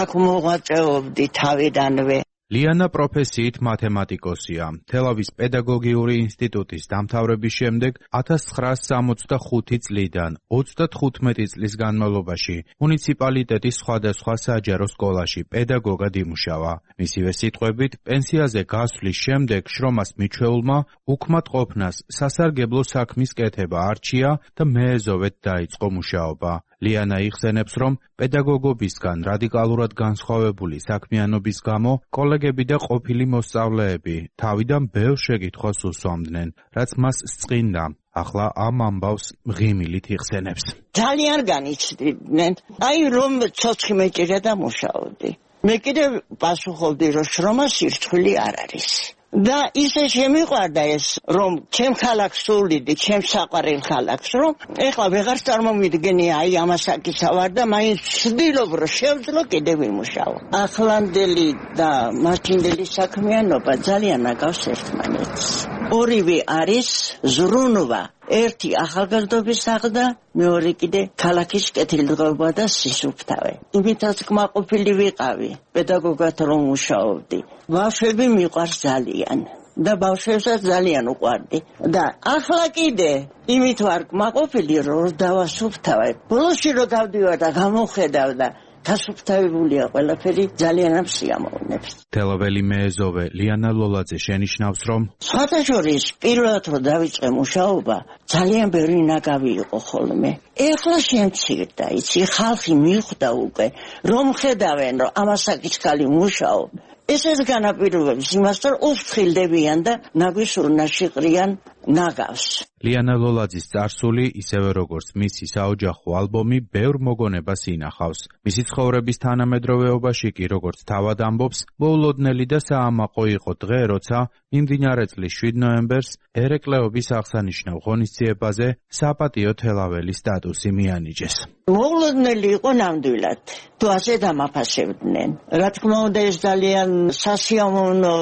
აქ მოღვაწეობდი თავიდანვე. ლიანა პროფესიით მათემატიკოსია. თელავის პედაგოგიური ინსტიტუტის დამთავრების შემდეგ 1965 წლიდან 35 წლის განმავლობაში მუნიციპალიტეტის სხვადასხვა საჯარო სკოლაში პედაგოგად იმუშავა. მისივე სიტყვებით, პენსიაზე გასვლის შემდეგ შრომას მიჩვეულმა უქმად ყოფნას სასარგებლო საქმის კეთება არჩია და მეეზოვეთ დაიწყო მუშაობა. ლიანა იხსენებს, რომ პედაგოგობისგან რადიკალურად განსხვავებული საქმიანობის გამო კოლეგები და ყოფილი მოსწავლეები თავიდან ბევრ შეკითხვას უსვამდნენ, რაც მას სწყინდა. ახლა ამ ამბავს მღიმილით იხსენებს. ძალიან განიცდიდნენ. აი რომ ცოცხი მეჭირა და მუშაობდი. მე კიდევ პასუხობდი, რომ შრომა სირცხვილი არ არის. და ისე შემიყვარდა ეს, რომ ჩემ ქალაქს სულიდი, ჩემ საყვარელ ქალაქს, რომ ეხლა ვეღარ წარმომიდგენი აი ამასაკისა ვარ და მაინც ვცდილობ, რომ შევძლო კიდევ ვიმუშაო. ახლანდელი და მაშინდელი საქმიანობა ძალიან აკავს ერთმანეთს. ორივე არის ზრუნვა. ერთი ახალგაზრდობის აღდა, მეორე კიდე ქალაქის კეთილდღეობა და სისუფთავე. იმითაც კმაყოფილი ვიყავი, პედაგოგად რომ მუშაობდი. ბავშვები მიყვარს ძალიან და ბავშვებსაც ძალიან უყვარდი. და ახლა კიდე იმით ვარ კმაყოფილი, რომ დავასუფთავე. ბოლოში რომ გავდივარ და გამოხედავ და გასუფთავებულია ყველაფერი, ძალიან ამსიამოვნებს. თელაველი მეეზოვე ლიანა ლოლაძე შენიშნავს, რომ სხვათაშორის პირველად რომ დავიწყე მუშაობა, ძალიან ბევრი ნაგავი იყო ხოლმე. ეხლა შემცირდა, იცი, ხალხი მიხვდა უკვე, რომ ხედავენ, რომ ამასაკის ქალი მუშაობ. ეს განაპირობებს იმას, რომ უსხილდებიან და ნაგვის ურნაში ყრიან ნაგავს. ლიანა ლოლაძის წარსული, ისევე როგორც მისი საოჯახო ალბომი, ბევრ მოგონებას ინახავს. მისი ცხოვრების თანამედროვეობაში კი, როგორც თავად ამბობს, მოულოდნელი და საამაყო იყო დღე, როცა მიმდინარე წლის 7 ნოემბერს ერეკლეობის აღსანიშნავ ღონისძიებაზე საპატიო თელაველი სტატუსი მიანიჭეს. მოულოდნელი იყო ნამდვილად. თუ ასე დამაფასებდნენ. რა თქმა უნდა, ეს ძალიან სასიამოვნო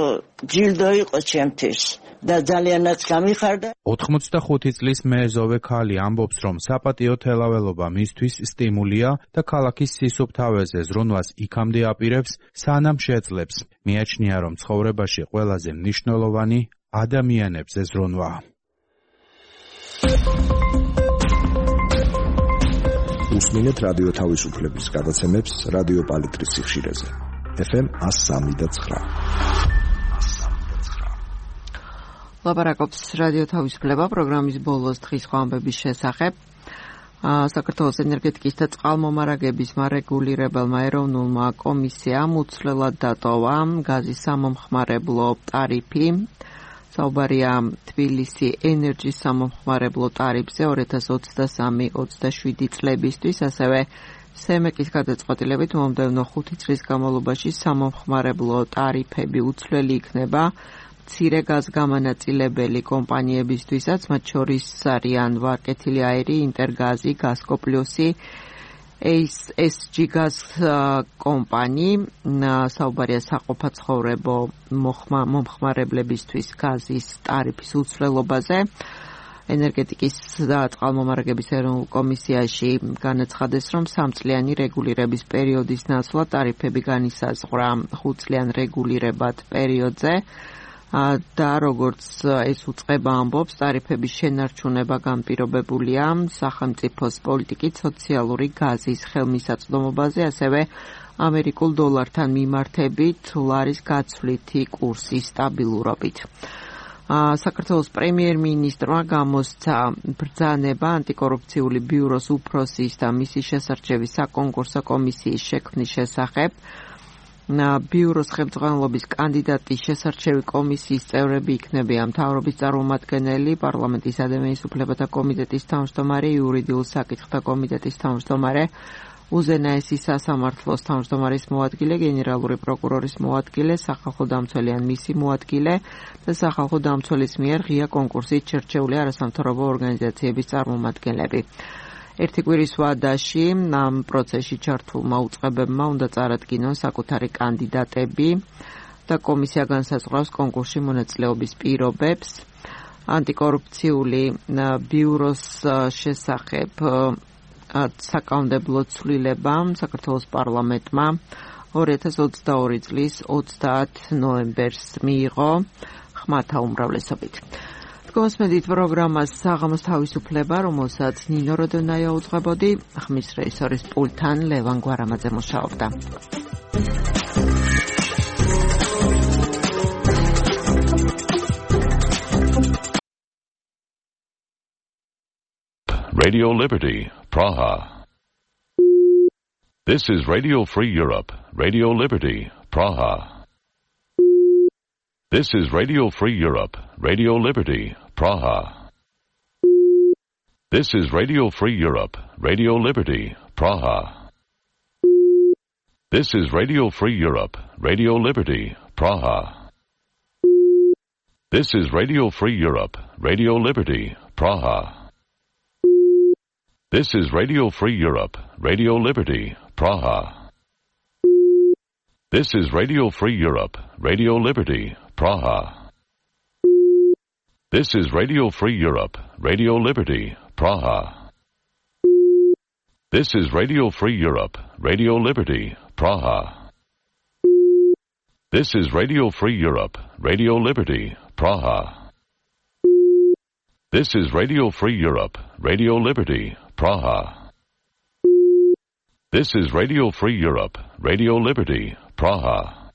ჯილდო იყო ჩემთვის. და ძალიანაც გამიხარდა. 85 წლის მეეზოვე ქალი ამბობს, რომ საპატიო თელაველობა მისთვის სტიმულია და ქალაქის სისუფთავეზე ზრუნვას იქამდე აპირებს, სანამ შეძლებს. მიაჩნია, რომ ცხოვრებაში ყველაზე მნიშვნელოვანი ადამიანებზე ზრუნვაა. უსმინეთ რადიო თავისუფლების გადაცემებს რადიო პალიტრის სიხშირეზე. FM 103.9. ლაპარაკობს რადიო თავისუფლება პროგრამის ბოლოს დღის ხვამბების შესახებ. საქართველოს ენერგეტიკის და წყალმომარაგების მარეგულირებელმა ეროვნულმა კომისიამ უცვლელად დატოვა გაზის სამომხმარებლო ტარიფი. საუბარია თბილისი ენერჯის სამომხმარებლო ტარიფზე 2023-27 წლებისთვის, ასევე სემეკის გადაწყვეტილებით მომდევნო 5 წლის განმავლობაში სამომხმარებლო ტარიფები უცვლელი იქნება მცირე გაზგამანაწილებელი კომპანიებისთვისაც, მათ შორის არიან ვარკეთილი აირი, ინტერგაზი, გაზკოპლიუსი, SG გაზ კომპანი, საუბარია საყოფაცხოვრებო მომხმარებლებისთვის გაზის ტარიფის უცვლელობაზე. ენერგეტიკის და წყალმომარაგების ეროვნულ კომისიაში განაცხადეს, რომ 3 წლიანი რეგულირების პერიოდის ნაცვლად ტარიფები განისაზღვრა 5 წლიან რეგულირებად პერიოდზე. და როგორც ეს უწყება ამბობს, ტარიფების შენარჩუნება განპირობებულია სახელმწიფოს პოლიტიკით სოციალური გაზის ხელმისაწვდომობაზე, ასევე ამერიკულ დოლართან მიმართებით ლარის გაცვლითი კურსის სტაბილურობით. საქართველოს პრემიერ-მინისტრმა გამოსცა ბრძანება ანტიკორუფციული ბიუროს უფროსის და მისი შესარჩევის საკონკურსო კომისიის შექმნის შესახებ. ბიუროს ხელმძღვანელობის კანდიდატის შესარჩევი კომისიის წევრები იქნებიან მთავრობის წარმომადგენელი, პარლამენტის ადამიანის უფლებათა კომიტეტის თავმჯდომარე, იურიდიულ საკითხთა კომიტეტის თავმჯდომარე, უზენაესი სასამართლოს თავმჯდომარის მოადგილე, გენერალური პროკურორის მოადგილე, სახალხო დამცველი ან მისი მოადგილე და სახალხო დამცველის მიერ ღია კონკურსით შერჩეული არასამთავრობო ორგანიზაციების წარმომადგენლები. ერთი კვირის ვადაში ამ პროცესში ჩართულმა უწყებებმა უნდა წარადგინონ საკუთარი კანდიდატები და კომისია განსაზღვრავს კონკურსში მონაწილეობის პირობებს. ანტიკორუფციული ბიუროს შესახებ საკანონმდებლო ცვლილებამ საქართველოს პარლამენტმა 2022 წლის 30 ნოემბერს მიიღო ხმათა უმრავლესობით. გოსმედით პროგრამას საღამოს თავისუფლება, რომელსაც ნინო როდონაია უძღვებოდი, ხმის რეჟისორის პულტთან ლევან გვარამაძე მუშაობდა. Radio Liberty, Praha. This is Radio Free Europe, Radio Liberty, Praha. This is Radio Free Europe, Radio Liberty, Praha. This is Radio Free Europe, Radio Liberty, Praha. This is Radio Free Europe, Radio Liberty, Praha. This is Radio Free Europe, Radio Liberty, Praha. This is Radio Free Europe, Radio Liberty, Praha. This is Radio Free Europe, Radio Liberty, Praha. This is Radio Free Europe, Radio Liberty, Praha. This is Radio Free Europe, Radio Liberty, Praha. This is Radio Free Europe, Radio Liberty, Praha. This is Radio Free Europe, Radio Liberty, Praha. This is Radio Free Europe, Radio Liberty, Praha.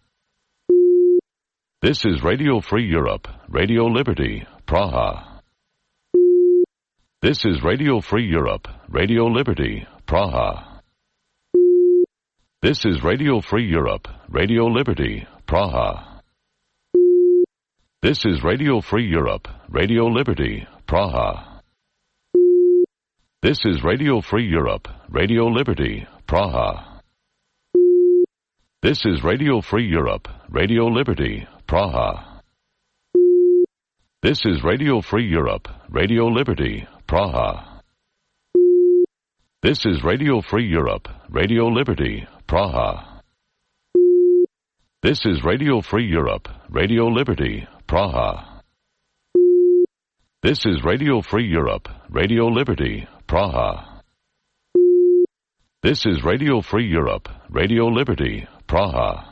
This is Radio Free Europe, Radio Liberty, Praha. This is Radio Free Europe, Radio Liberty, Praha. This is Radio Free Europe, Radio Liberty, Praha. This is Radio Free Europe, Radio Liberty, Praha. This is Radio Free Europe, Radio Liberty, Praha. This is Radio Free Europe, Radio Liberty, Praha. This is Radio Free Europe, Radio Liberty, Praha. This is Radio Free Europe, Radio Liberty, Praha. This is Radio Free Europe, Radio Liberty, Praha. This is Radio Free Europe, Radio Liberty, Praha. This is Radio Free Europe, Radio Liberty, Praha.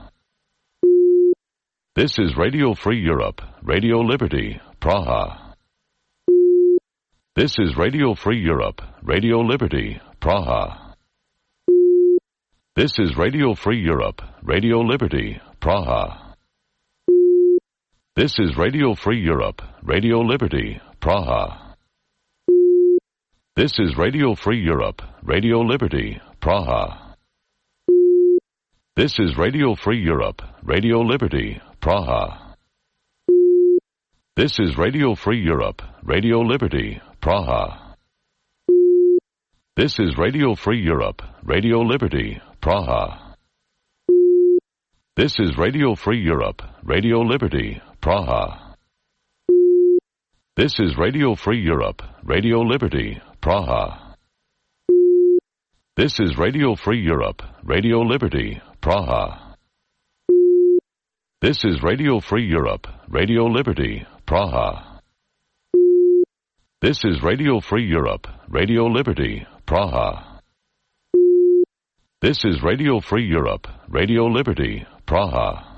This is Radio Free Europe, Radio Liberty, Praha. This is Radio Free Europe, Radio Liberty, Praha. This is Radio Free Europe, Radio Liberty, Praha. This is Radio Free Europe, Radio Liberty, Praha. This is Radio Free Europe, Radio Liberty, Praha. This is Radio Free Europe, Radio Liberty, Praha. This is Radio Free Europe, Radio Liberty, Praha. This is Radio Free Europe, Radio Liberty, Praha. This is Radio Free Europe, Radio Liberty, Praha. This is Radio Free Europe, Radio Liberty, Praha. This is Radio Free Europe, Radio Liberty, Praha. This is Radio Free Europe, Radio Liberty, Praha. This is Radio Free Europe, Radio Liberty, Praha. This is Radio Free Europe, Radio Liberty, Praha.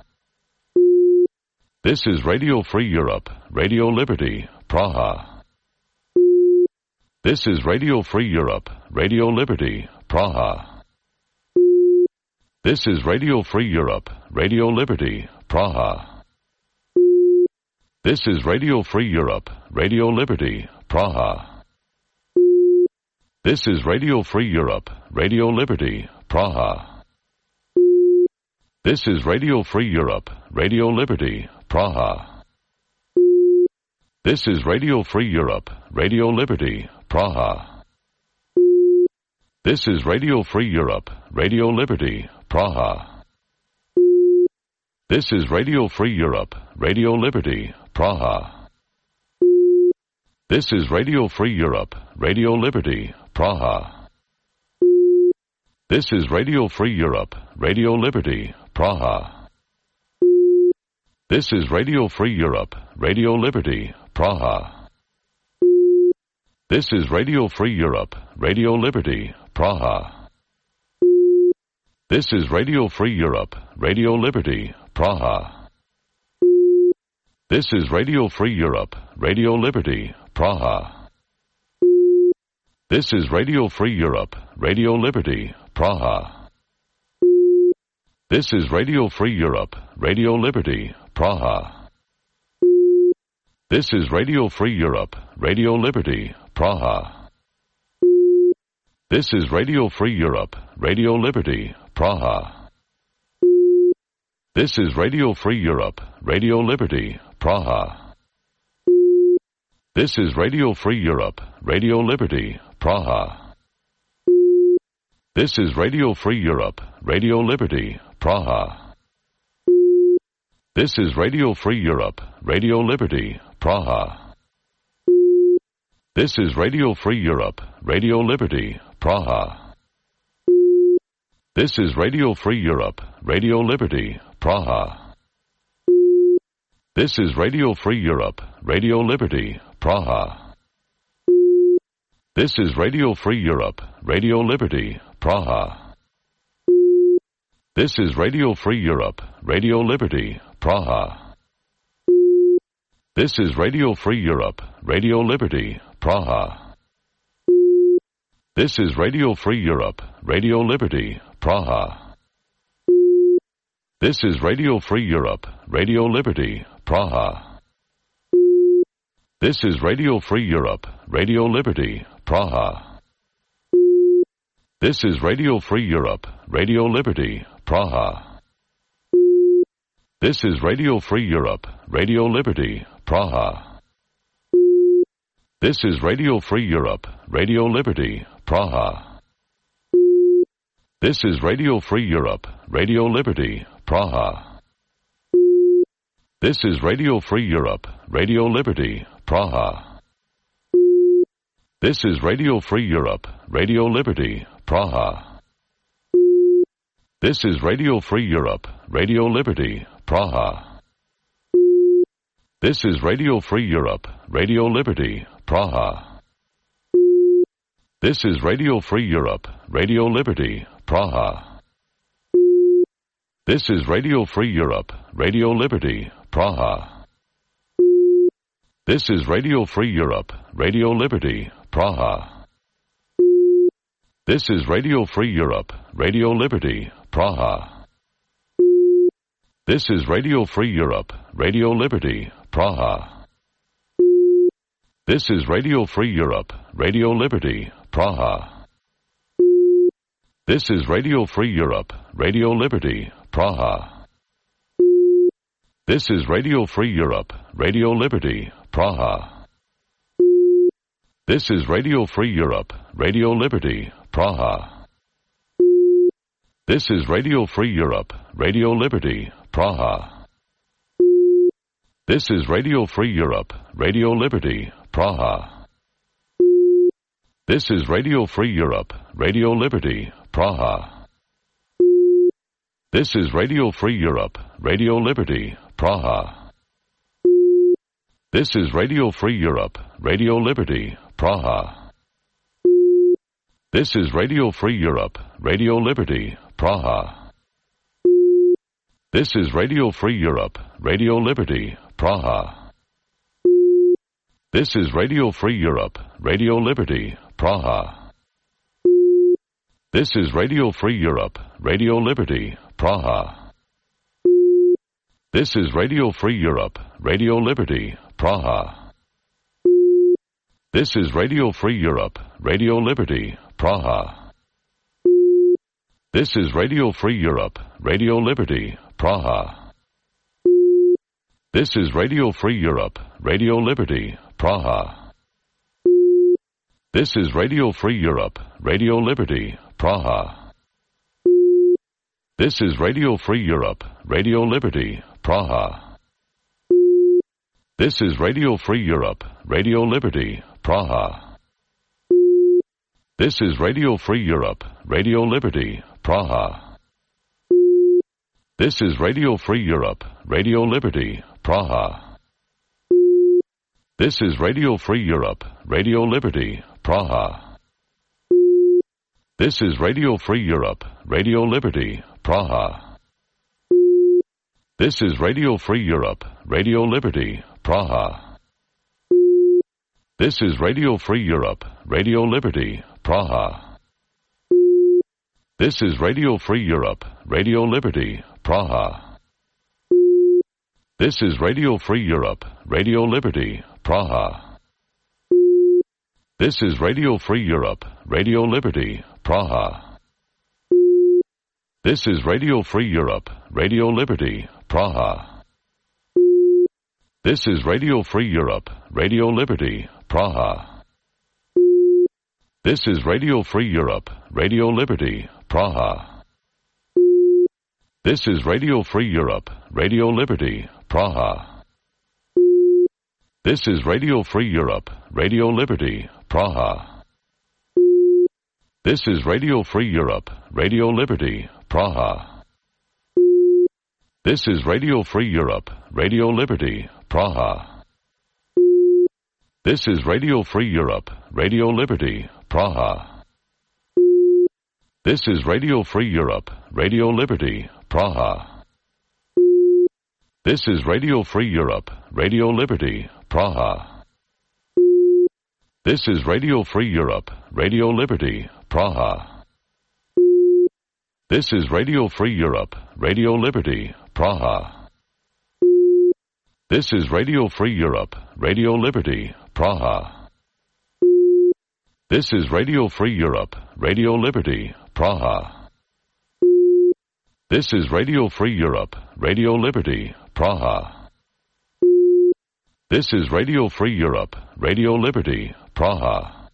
This is Radio Free Europe, Radio Liberty, Praha. This is Radio Free Europe, Radio Liberty, Praha. This is Radio Free Europe, Radio Liberty, Praha. This is Radio Free Europe, Radio Liberty, Praha. This is Radio Free Europe, Radio Liberty, Praha. This is Radio Free Europe, Radio Liberty, Praha. This is Radio Free Europe, Radio Liberty, Praha. This is Radio Free Europe, Radio Liberty, Praha. This is Radio Free Europe, Radio Liberty, Praha. This is Radio Free Europe, Radio Liberty, Praha. This is Radio Free Europe, Radio Liberty, Praha. This is Radio Free Europe, Radio Liberty, Praha. This is Radio Free Europe, Radio Liberty, Praha. This is Radio Free Europe, Radio Liberty, Praha. This is Radio Free Europe, Radio Liberty, Praha. This is Radio Free Europe, Radio Liberty, Praha. This is Radio Free Europe, Radio Liberty, Praha. This is Radio Free Europe, Radio Liberty, Praha. This is Radio Free Europe, Radio Liberty, Praha. This is Radio Free Europe, Radio Liberty, Praha. This is Radio Free Europe, Radio Liberty, Praha. This is Radio Free Europe, Radio Liberty, Praha. This is Radio Free Europe, Radio Liberty, Praha. This is Radio Free Europe, Radio Liberty, Praha. This is Radio Free Europe, Radio Liberty, Praha. This is Radio Free Europe, Radio Liberty, Praha. This is Radio Free Europe, Radio Liberty, Praha. This is Radio Free Europe, Radio Liberty, Praha. This is Radio Free Europe, Radio Liberty, Praha. This is Radio Free Europe, Radio Liberty, Praha. This is Radio Free Europe, Radio Liberty, Praha. This is Radio Free Europe, Radio Liberty, Praha. This is Radio Free Europe, Radio Liberty, Praha. This is Radio Free Europe, Radio Liberty, Praha. This is Radio Free Europe, Radio Liberty, Praha. This is Radio Free Europe, Radio Liberty, Praha. This is Radio Free Europe, Radio Liberty, Praha. This is Radio Free Europe, Radio Liberty, Praha. This is Radio Free Europe, Radio Liberty, Praha. This is Radio Free Europe, Radio Liberty, Praha. This is Radio Free Europe, Radio Liberty, Praha. This is Radio Free Europe, Radio Liberty, Praha. This is Radio Free Europe, Radio Liberty, Praha. This is Radio Free Europe, Radio Liberty, Praha. This is Radio Free Europe, Radio Liberty, Praha. This is Radio Free Europe, Radio Liberty, Praha. This is Radio Free Europe, Radio Liberty, Praha. This is Radio Free Europe, Radio Liberty, Praha. This is Radio Free Europe, Radio Liberty, Praha. This is Radio Free Europe, Radio Liberty, Praha. This is Radio Free Europe, Radio Liberty, Praha. This is Radio Free Europe, Radio Liberty, Praha. This is Radio Free Europe, Radio Liberty, Praha. This is Radio Free Europe, Radio Liberty, Praha. This is Radio Free Europe, Radio Liberty, Praha. This is Radio Free Europe, Radio Liberty, Praha. This is Radio Free Europe, Radio Liberty, Praha. This is Radio Free Europe, Radio Liberty, Praha. This is Radio Free Europe, Radio Liberty, Praha. This is Radio Free Europe, Radio Liberty, Praha. This is Radio Free Europe, Radio Liberty, Praha. This is Radio Free Europe, Radio Liberty, Praha. This is Radio Free Europe, Radio Liberty, Praha. This is Radio Free Europe, Radio Liberty, Praha. This is Radio Free Europe, Radio Liberty, Praha. This is Radio Free Europe, Radio Liberty, Praha. This is Radio Free Europe, Radio Liberty, Praha. This is Radio Free Europe, Radio Liberty, Praha. This is Radio Free Europe, Radio Liberty, Praha. This is Radio Free Europe, Radio Liberty, Praha. This is Radio Free Europe, Radio Liberty, Praha. This is Radio Free Europe, Radio Liberty, Praha. This is Radio Free Europe, Radio Liberty, Praha. This is Radio Free Europe, Radio Liberty, Praha. This is Radio Free Europe, Radio Liberty, Praha. This is Radio Free Europe, Radio Liberty, Praha. This is Radio Free Europe, Radio Liberty, Praha. This is Radio Free Europe, Radio Liberty, Praha. This is Radio Free Europe, Radio Liberty, Praha. This is Radio Free Europe, Radio Liberty, Praha. This is Radio Free Europe, Radio Liberty, Praha. This is Radio Free Europe, Radio Liberty, Praha. This is Radio Free Europe, Radio Liberty, Praha. This is Radio Free Europe, Radio Liberty, Praha. This is Radio Free Europe, Radio Liberty, Praha. This is Radio Free Europe, Radio Liberty, Praha. This is Radio Free Europe, Radio Liberty, Praha. This is Radio Free Europe, Radio Liberty, Praha. This is Radio Free Europe, Radio Liberty, Praha. This is Radio Free Europe, Radio Liberty, Praha.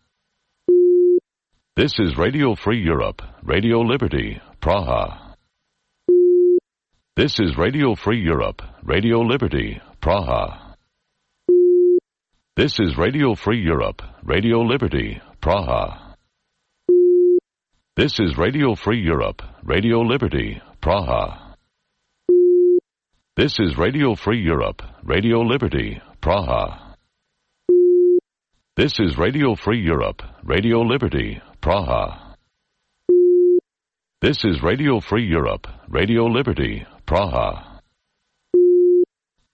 This is Radio Free Europe, Radio Liberty, Praha. This is Radio Free Europe, Radio Liberty, Praha. This is Radio Free Europe, Radio Liberty, Praha. This is Radio Free Europe, Radio Liberty, Praha. This is Radio Free Europe, Radio Liberty, Praha. This is Radio Free Europe, Radio Liberty, Praha. This is Radio Free Europe, Radio Liberty, Praha.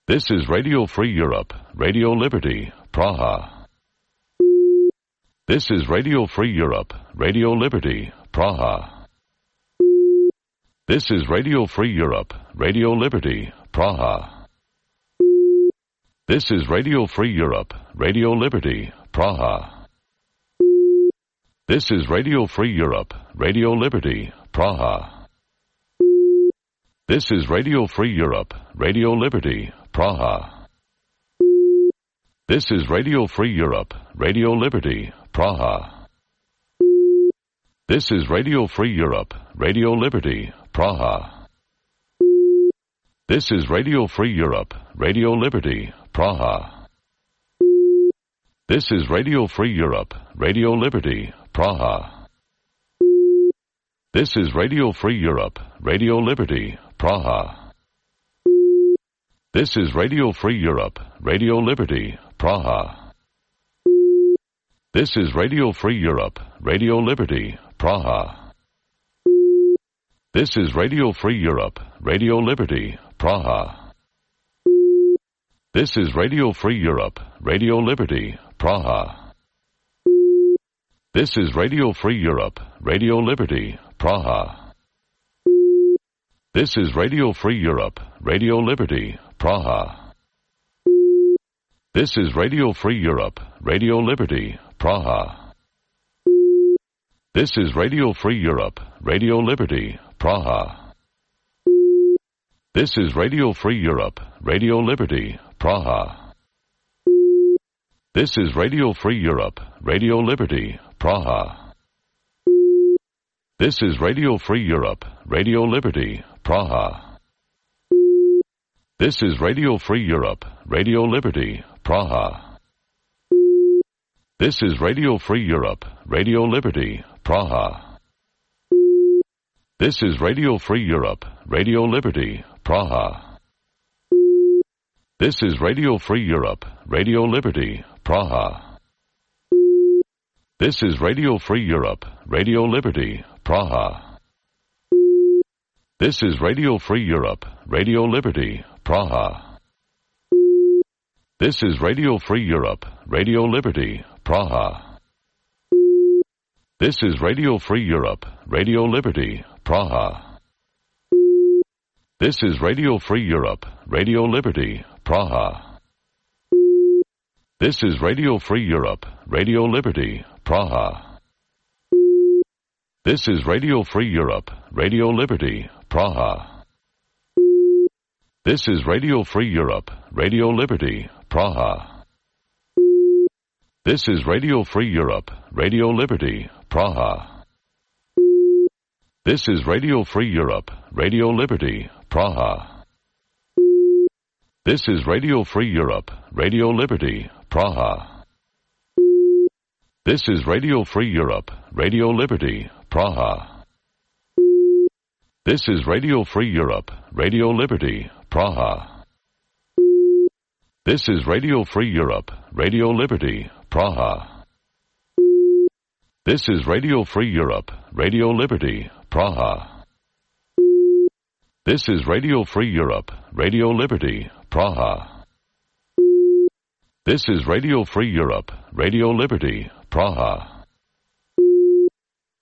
This is Radio Free Europe, Radio Liberty, Praha. This is Radio Free Europe, Radio Liberty, Praha. This is Radio Free Europe, Radio Liberty, Praha. This is Radio Free Europe, Radio Liberty, Praha. This is Radio Free Europe, Radio Liberty, Praha. This is Radio Free Europe, Radio Liberty, Praha. This is Radio Free Europe, Radio Liberty, Praha. This is Radio Free Europe, Radio Liberty, Praha. This is Radio Free Europe, Radio Liberty, Praha. This is Radio Free Europe, Radio Liberty, Praha. This is Radio Free Europe, Radio Liberty, Praha. This is Radio Free Europe, Radio Liberty, Praha. This is Radio Free Europe, Radio Liberty, Praha. This is Radio Free Europe, Radio Liberty, Praha. This is Radio Free Europe, Radio Liberty, Praha. This is Radio Free Europe, Radio Liberty, Praha. This is Radio Free Europe, Radio Liberty, Praha. This is Radio Free Europe, Radio Liberty, Praha. This is Radio Free Europe, Radio Liberty, Praha. This is Radio Free Europe, Radio Liberty, Praha. This is Radio Free Europe, Radio Liberty, Praha. This is Radio Free Europe, Radio Liberty, Praha. This is Radio Free Europe, Radio Liberty, Praha. This is Radio Free Europe, Radio Liberty, Praha. This is Radio Free Europe, Radio Liberty, Praha. This is Radio Free Europe, Radio Liberty, Praha. This is Radio Free Europe, Radio Liberty, Praha. This is Radio Free Europe, Radio Liberty, Praha. This is Radio Free Europe, Radio Liberty, Praha. This is Radio Free Europe, Radio Liberty, Praha. This is Radio Free Europe, Radio Liberty, Praha. This is Radio Free Europe, Radio Liberty, Praha. This is Radio Free Europe, Radio Liberty, Praha. This is Radio Free Europe, Radio Liberty, Praha. This is Radio Free Europe, Radio Liberty, Praha. This is Radio Free Europe, Radio Liberty, Praha. This is Radio Free Europe, Radio Liberty, Praha. This is Radio Free Europe, Radio Liberty, Praha. This is Radio Free Europe, Radio Liberty, Praha. This is Radio Free Europe, Radio Liberty, Praha. This is Radio Free Europe, Radio Liberty, Praha. This is Radio Free Europe, Radio Liberty, Praha. This is Radio Free Europe, Radio Liberty, Praha.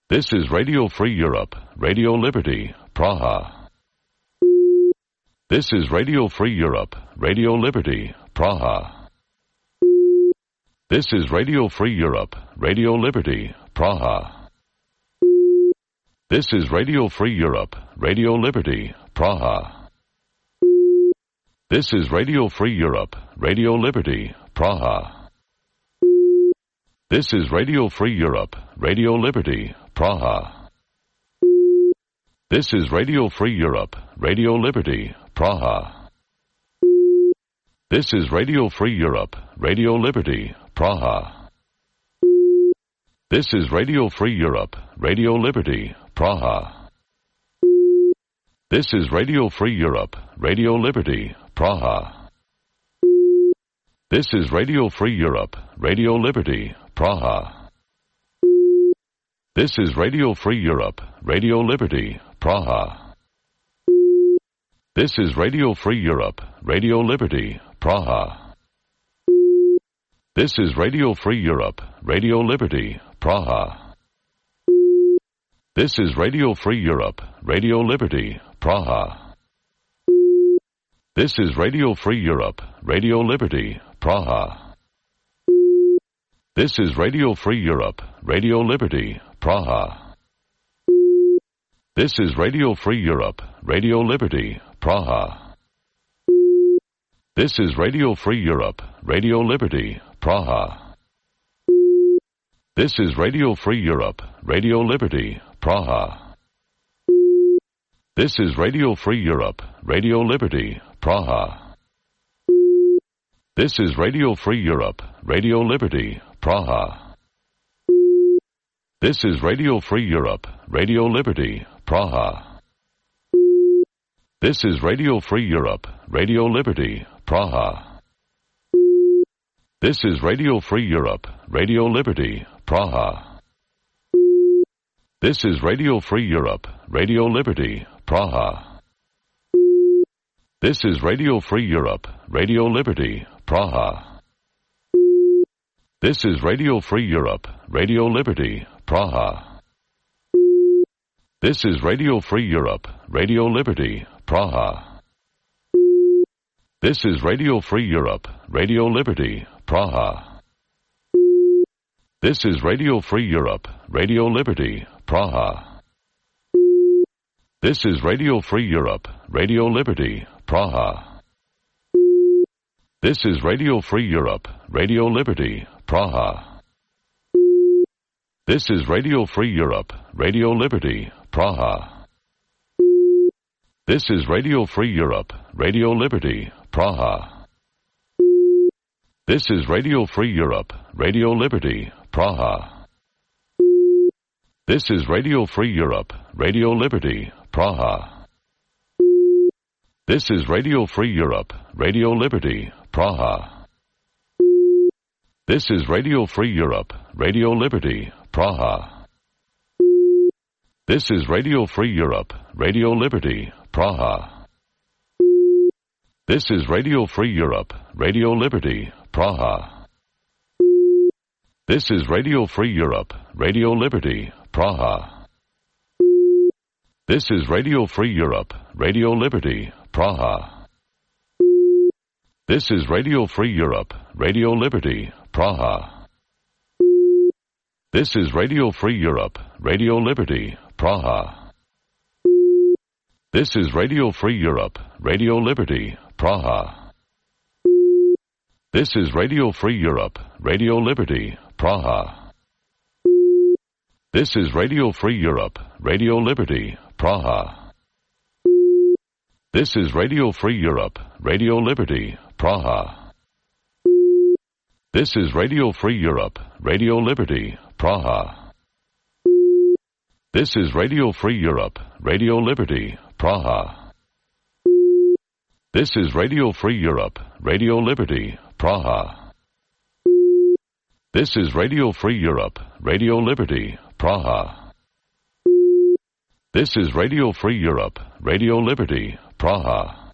This is Radio Free Europe, Radio Liberty, Praha. This is Radio Free Europe, Radio Liberty, Praha. This is Radio Free Europe, Radio Liberty, Praha. This is Radio Free Europe, Radio Liberty, Praha. This is Radio Free Europe, Radio Liberty, Praha. This is Radio Free Europe, Radio Liberty, Praha. This is Radio Free Europe, Radio Liberty, Praha. This is Radio Free Europe, Radio Liberty, Praha. This is Radio Free Europe, Radio Liberty, Praha. This is Radio Free Europe, Radio Liberty, Praha. This is Radio Free Europe, Radio Liberty, Praha. This is Radio Free Europe, Radio Liberty, Praha. This is Radio Free Europe, Radio Liberty, Praha. This is Radio Free Europe, Radio Liberty, Praha. This is Radio Free Europe, Radio Liberty, Praha. This is Radio Free Europe, Radio Liberty, Praha. This is Radio Free Europe, Radio Liberty, Praha. This is Radio Free Europe, Radio Liberty, Praha. This is Radio Free Europe, Radio Liberty, Praha. This is Radio Free Europe, Radio Liberty, Praha. This is Radio Free Europe, Radio Liberty, Praha. This is Radio Free Europe, Radio Liberty, Praha. This is Radio Free Europe, Radio Liberty, Praha. This is Radio Free Europe, Radio Liberty, Praha. This is Radio Free Europe, Radio Liberty, Praha. This is Radio Free Europe, Radio Liberty, Praha. This is Radio Free Europe, Radio Liberty, Praha. This is Radio Free Europe, Radio Liberty, Praha. This is Radio Free Europe, Radio Liberty, Praha. This is Radio Free Europe, Radio Liberty, Praha. This is Radio Free Europe, Radio Liberty, Praha. This is Radio Free Europe, Radio Liberty, Praha. This is Radio Free Europe, Radio Liberty, Praha. This is Radio Free Europe, Radio Liberty, Praha. This is Radio Free Europe, Radio Liberty, Praha. This is Radio Free Europe, Radio Liberty, Praha. This is Radio Free Europe, Radio Liberty, Praha. This is Radio Free Europe, Radio Liberty, Praha. This is Radio Free Europe, Radio Liberty, Praha. This is Radio Free Europe, Radio Liberty, Praha. This is Radio Free Europe, Radio Liberty, Praha. This is Radio Free Europe, Radio Liberty, Praha. This is Radio Free Europe, Radio Liberty, Praha. This is Radio Free Europe, Radio Liberty, Praha. This is Radio Free Europe, Radio Liberty, Praha. This is Radio Free Europe, Radio Liberty, Praha. This is Radio Free Europe, Radio Liberty, Praha. This is Radio Free Europe, Radio Liberty, Praha. This is Radio Free Europe, Radio Liberty, Praha. This is Radio Free Europe, Radio Liberty, Praha. This is Radio Free Europe, Radio Liberty, Praha. This is Radio Free Europe, Radio Liberty, Praha. This is Radio Free Europe, Radio Liberty, Praha. This is Radio Free Europe, Radio Liberty, Praha.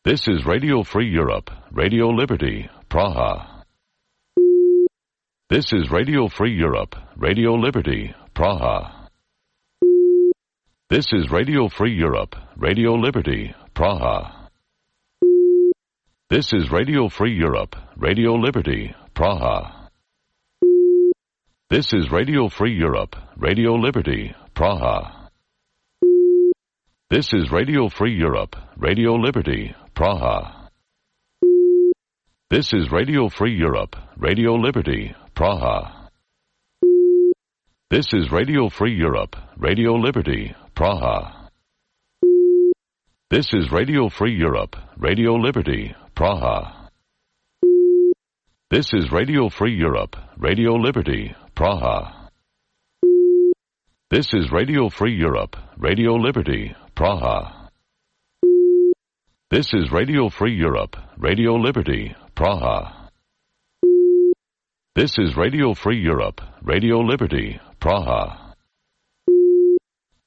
This is Radio Free Europe, Radio Liberty, Praha. This is Radio Free Europe, Radio Liberty, Praha. This is Radio Free Europe, Radio Liberty, Praha. This is Radio Free Europe, Radio Liberty, Praha. This is Radio Free Europe, Radio Liberty, Praha. This is Radio Free Europe, Radio Liberty, Praha. This is Radio Free Europe, Radio Liberty, Praha. This is Radio Free Europe, Radio Liberty, Praha. This is Radio Free Europe, Radio Liberty, Praha. This is Radio Free Europe, Radio Liberty, Praha. This is Radio Free Europe, Radio Liberty, Praha. This is Radio Free Europe, Radio Liberty, Praha. This is Radio Free Europe, Radio Liberty, Praha.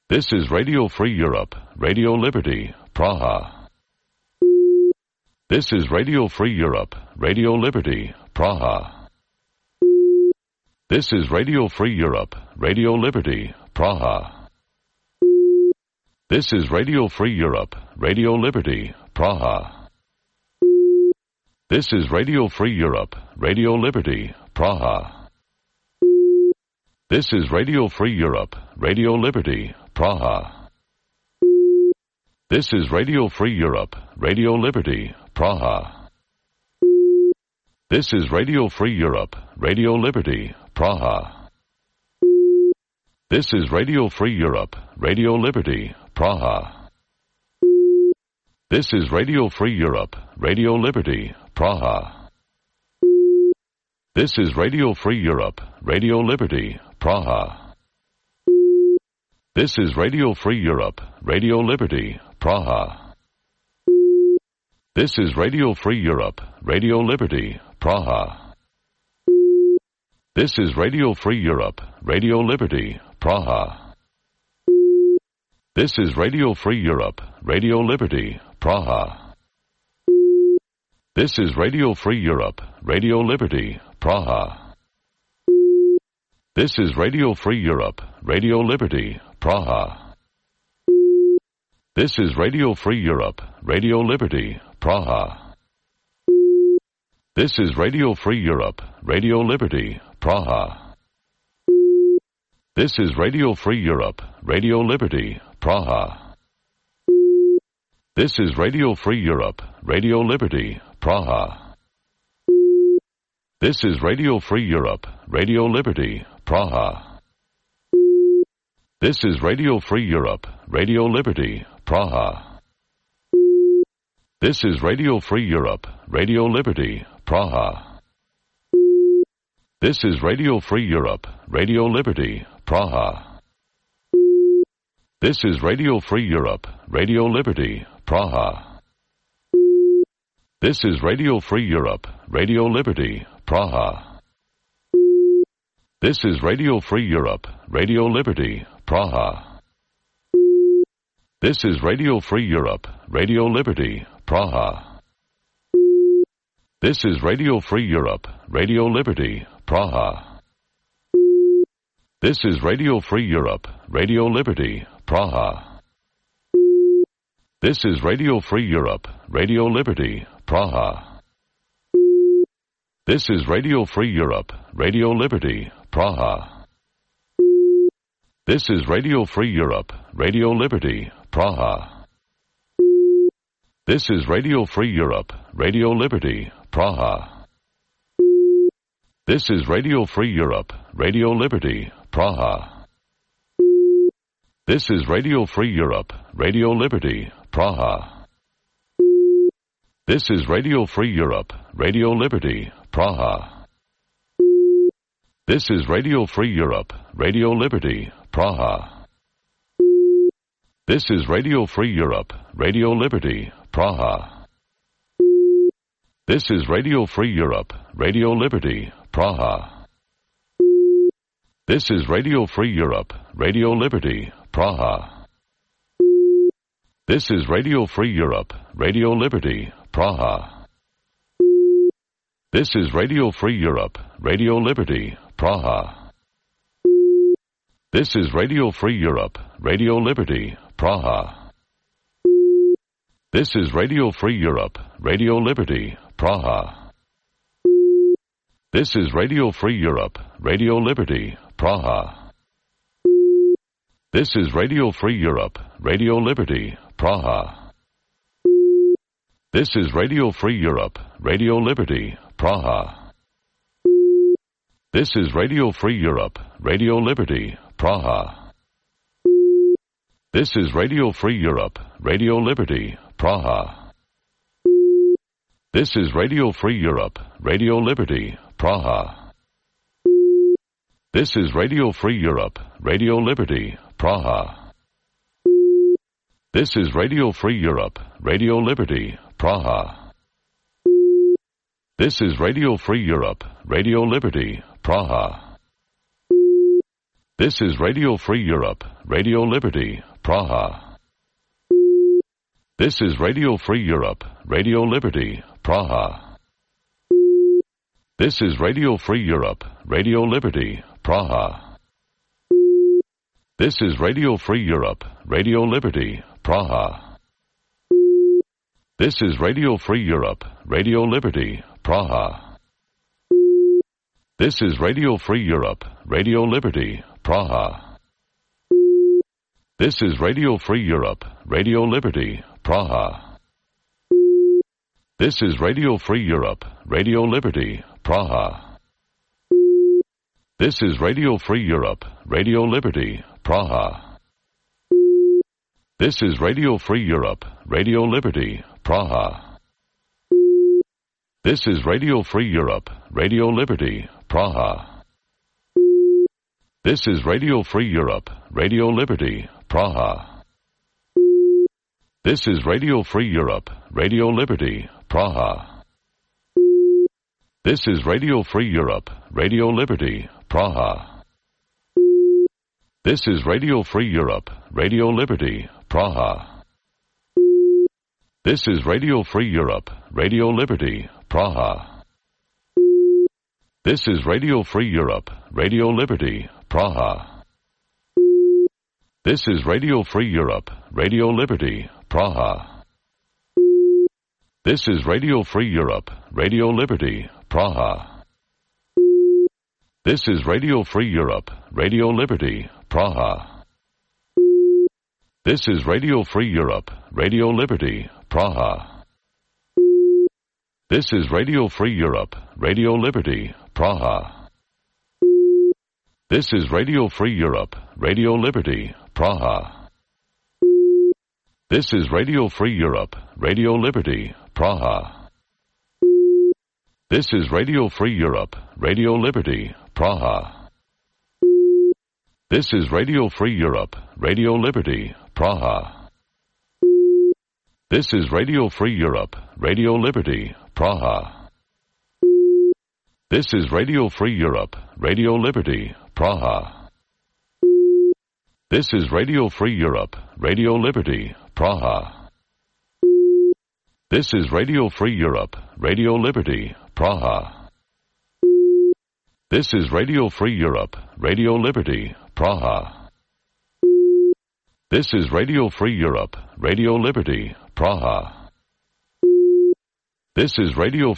This is Radio Free Europe, Radio Liberty, Praha. This is Radio Free Europe, Radio Liberty, Praha. This is Radio Free Europe, Radio Liberty, Praha. This is Radio Free Europe, Radio Liberty, Praha. This is Radio Free Europe, Radio Liberty, Praha. This is Radio Free Europe, Radio Liberty, Praha. This is Radio Free Europe, Radio Liberty, Praha. This is Radio Free Europe, Radio Liberty, Praha. This is Radio Free Europe, Radio Liberty, Praha. This is Radio Free Europe, Radio Liberty, Praha. This is Radio Free Europe, Radio Liberty, Praha. This is Radio Free Europe, Radio Liberty, Praha. This is Radio Free Europe, Radio Liberty, Praha. This is Radio Free Europe, Radio Liberty, Praha. This is Radio Free Europe, Radio Liberty, Praha. This is Radio Free Europe, Radio Liberty, Praha. This is Radio Free Europe, Radio Liberty, Praha. This is Radio Free Europe, Radio Liberty, Praha. This is Radio Free Europe, Radio Liberty, Praha. This is Radio Free Europe, Radio Liberty, Praha. This is Radio Free Europe, Radio Liberty, Praha. This is Radio Free Europe, Radio Liberty, Praha. This is Radio Free Europe, Radio Liberty, Praha. This is Radio Free Europe, Radio Liberty, Praha. This is Radio Free Europe, Radio Liberty, Praha. This is Radio Free Europe, Radio Liberty, Praha. This is Radio Free Europe, Radio Liberty, Praha. This is Radio Free Europe, Radio Liberty, Praha. This is Radio Free Europe, Radio Liberty, Praha. This is Radio Free Europe, Radio Liberty, Praha. This is Radio Free Europe, Radio Liberty, Praha. This is Radio Free Europe, Radio Liberty, Praha. This is Radio Free Europe, Radio Liberty, Praha. This is Radio Free Europe, Radio Liberty, Praha. This is Radio Free Europe, Radio Liberty, Praha. This is Radio Free Europe, Radio Liberty, Praha. This is Radio Free Europe, Radio Liberty, Praha. This is Radio Free Europe, Radio Liberty, Praha. This is Radio Free Europe, Radio Liberty, Praha. This is Radio Free Europe, Radio Liberty, Praha. This is Radio Free Europe, Radio Liberty, Praha. This is Radio Free Europe, Radio Liberty, Praha. This is Radio Free Europe, Radio Liberty, Praha. This is Radio Free Europe, Radio Liberty, Praha. This is Radio Free Europe, Radio Liberty, Praha. This is Radio Free Europe, Radio Liberty, Praha. This is Radio Free Europe, Radio Liberty, Praha. This is Radio Free Europe, Radio Liberty, Praha. This is Radio Free Europe, Radio Liberty, Praha. This is Radio Free Europe, Radio Liberty, Praha. This is Radio Free Europe, Radio Liberty, Praha. This is Radio Free Europe, Radio Liberty, Praha. This is Radio Free Europe, Radio Liberty, Praha. This is Radio Free Europe, Radio Liberty, Praha. This is Radio Free Europe, Radio Liberty, Praha. This is Radio Free Europe, Radio Liberty, Praha. This is Radio Free Europe, Radio Liberty, Praha. This is Radio Free Europe, Radio Liberty, Praha. This is Radio Free Europe, Radio Liberty, Praha. This is Radio Free Europe, Radio Liberty, Praha. This is Radio Free Europe, Radio Liberty, Praha. This is Radio Free Europe, Radio Liberty, Praha. This is Radio Free Europe, Radio Liberty, Praha. This is Radio Free Europe, Radio Liberty, Praha. This is Radio Free Europe, Radio Liberty, Praha. This is Radio Free Europe, Radio Liberty, Praha. This is Radio Free Europe, Radio Liberty, Praha. This is Radio Free Europe, Radio Liberty, Praha. This is Radio Free Europe, Radio Liberty, Praha. This is Radio Free Europe, Radio Liberty, Praha. This is Radio Free Europe, Radio Liberty, Praha. This is Radio Free Europe, Radio Liberty, Praha. This is Radio Free Europe, Radio Liberty, Praha. This is Radio Free Europe, Radio Liberty, Praha. This is Radio Free Europe, Radio Liberty, Praha. This is Radio Free Europe, Radio Liberty, Praha. This is Radio Free Europe, Radio Liberty, Praha. This is Radio Free Europe, Radio Liberty, Praha. This is Radio Free Europe, Radio Liberty, Praha. This is Radio Free Europe, Radio Liberty, Praha. This is Radio Free Europe, Radio Liberty, Praha. This is Radio Free Europe, Radio Liberty, Praha. This is Radio Free Europe, Radio Liberty, Praha. This is Radio Free Europe, Radio Liberty, Praha. This is Radio Free Europe, Radio Liberty, Praha. This is Radio Free Europe, Radio Liberty, Praha. This is Radio Free Europe, Radio Liberty, Praha. This is Radio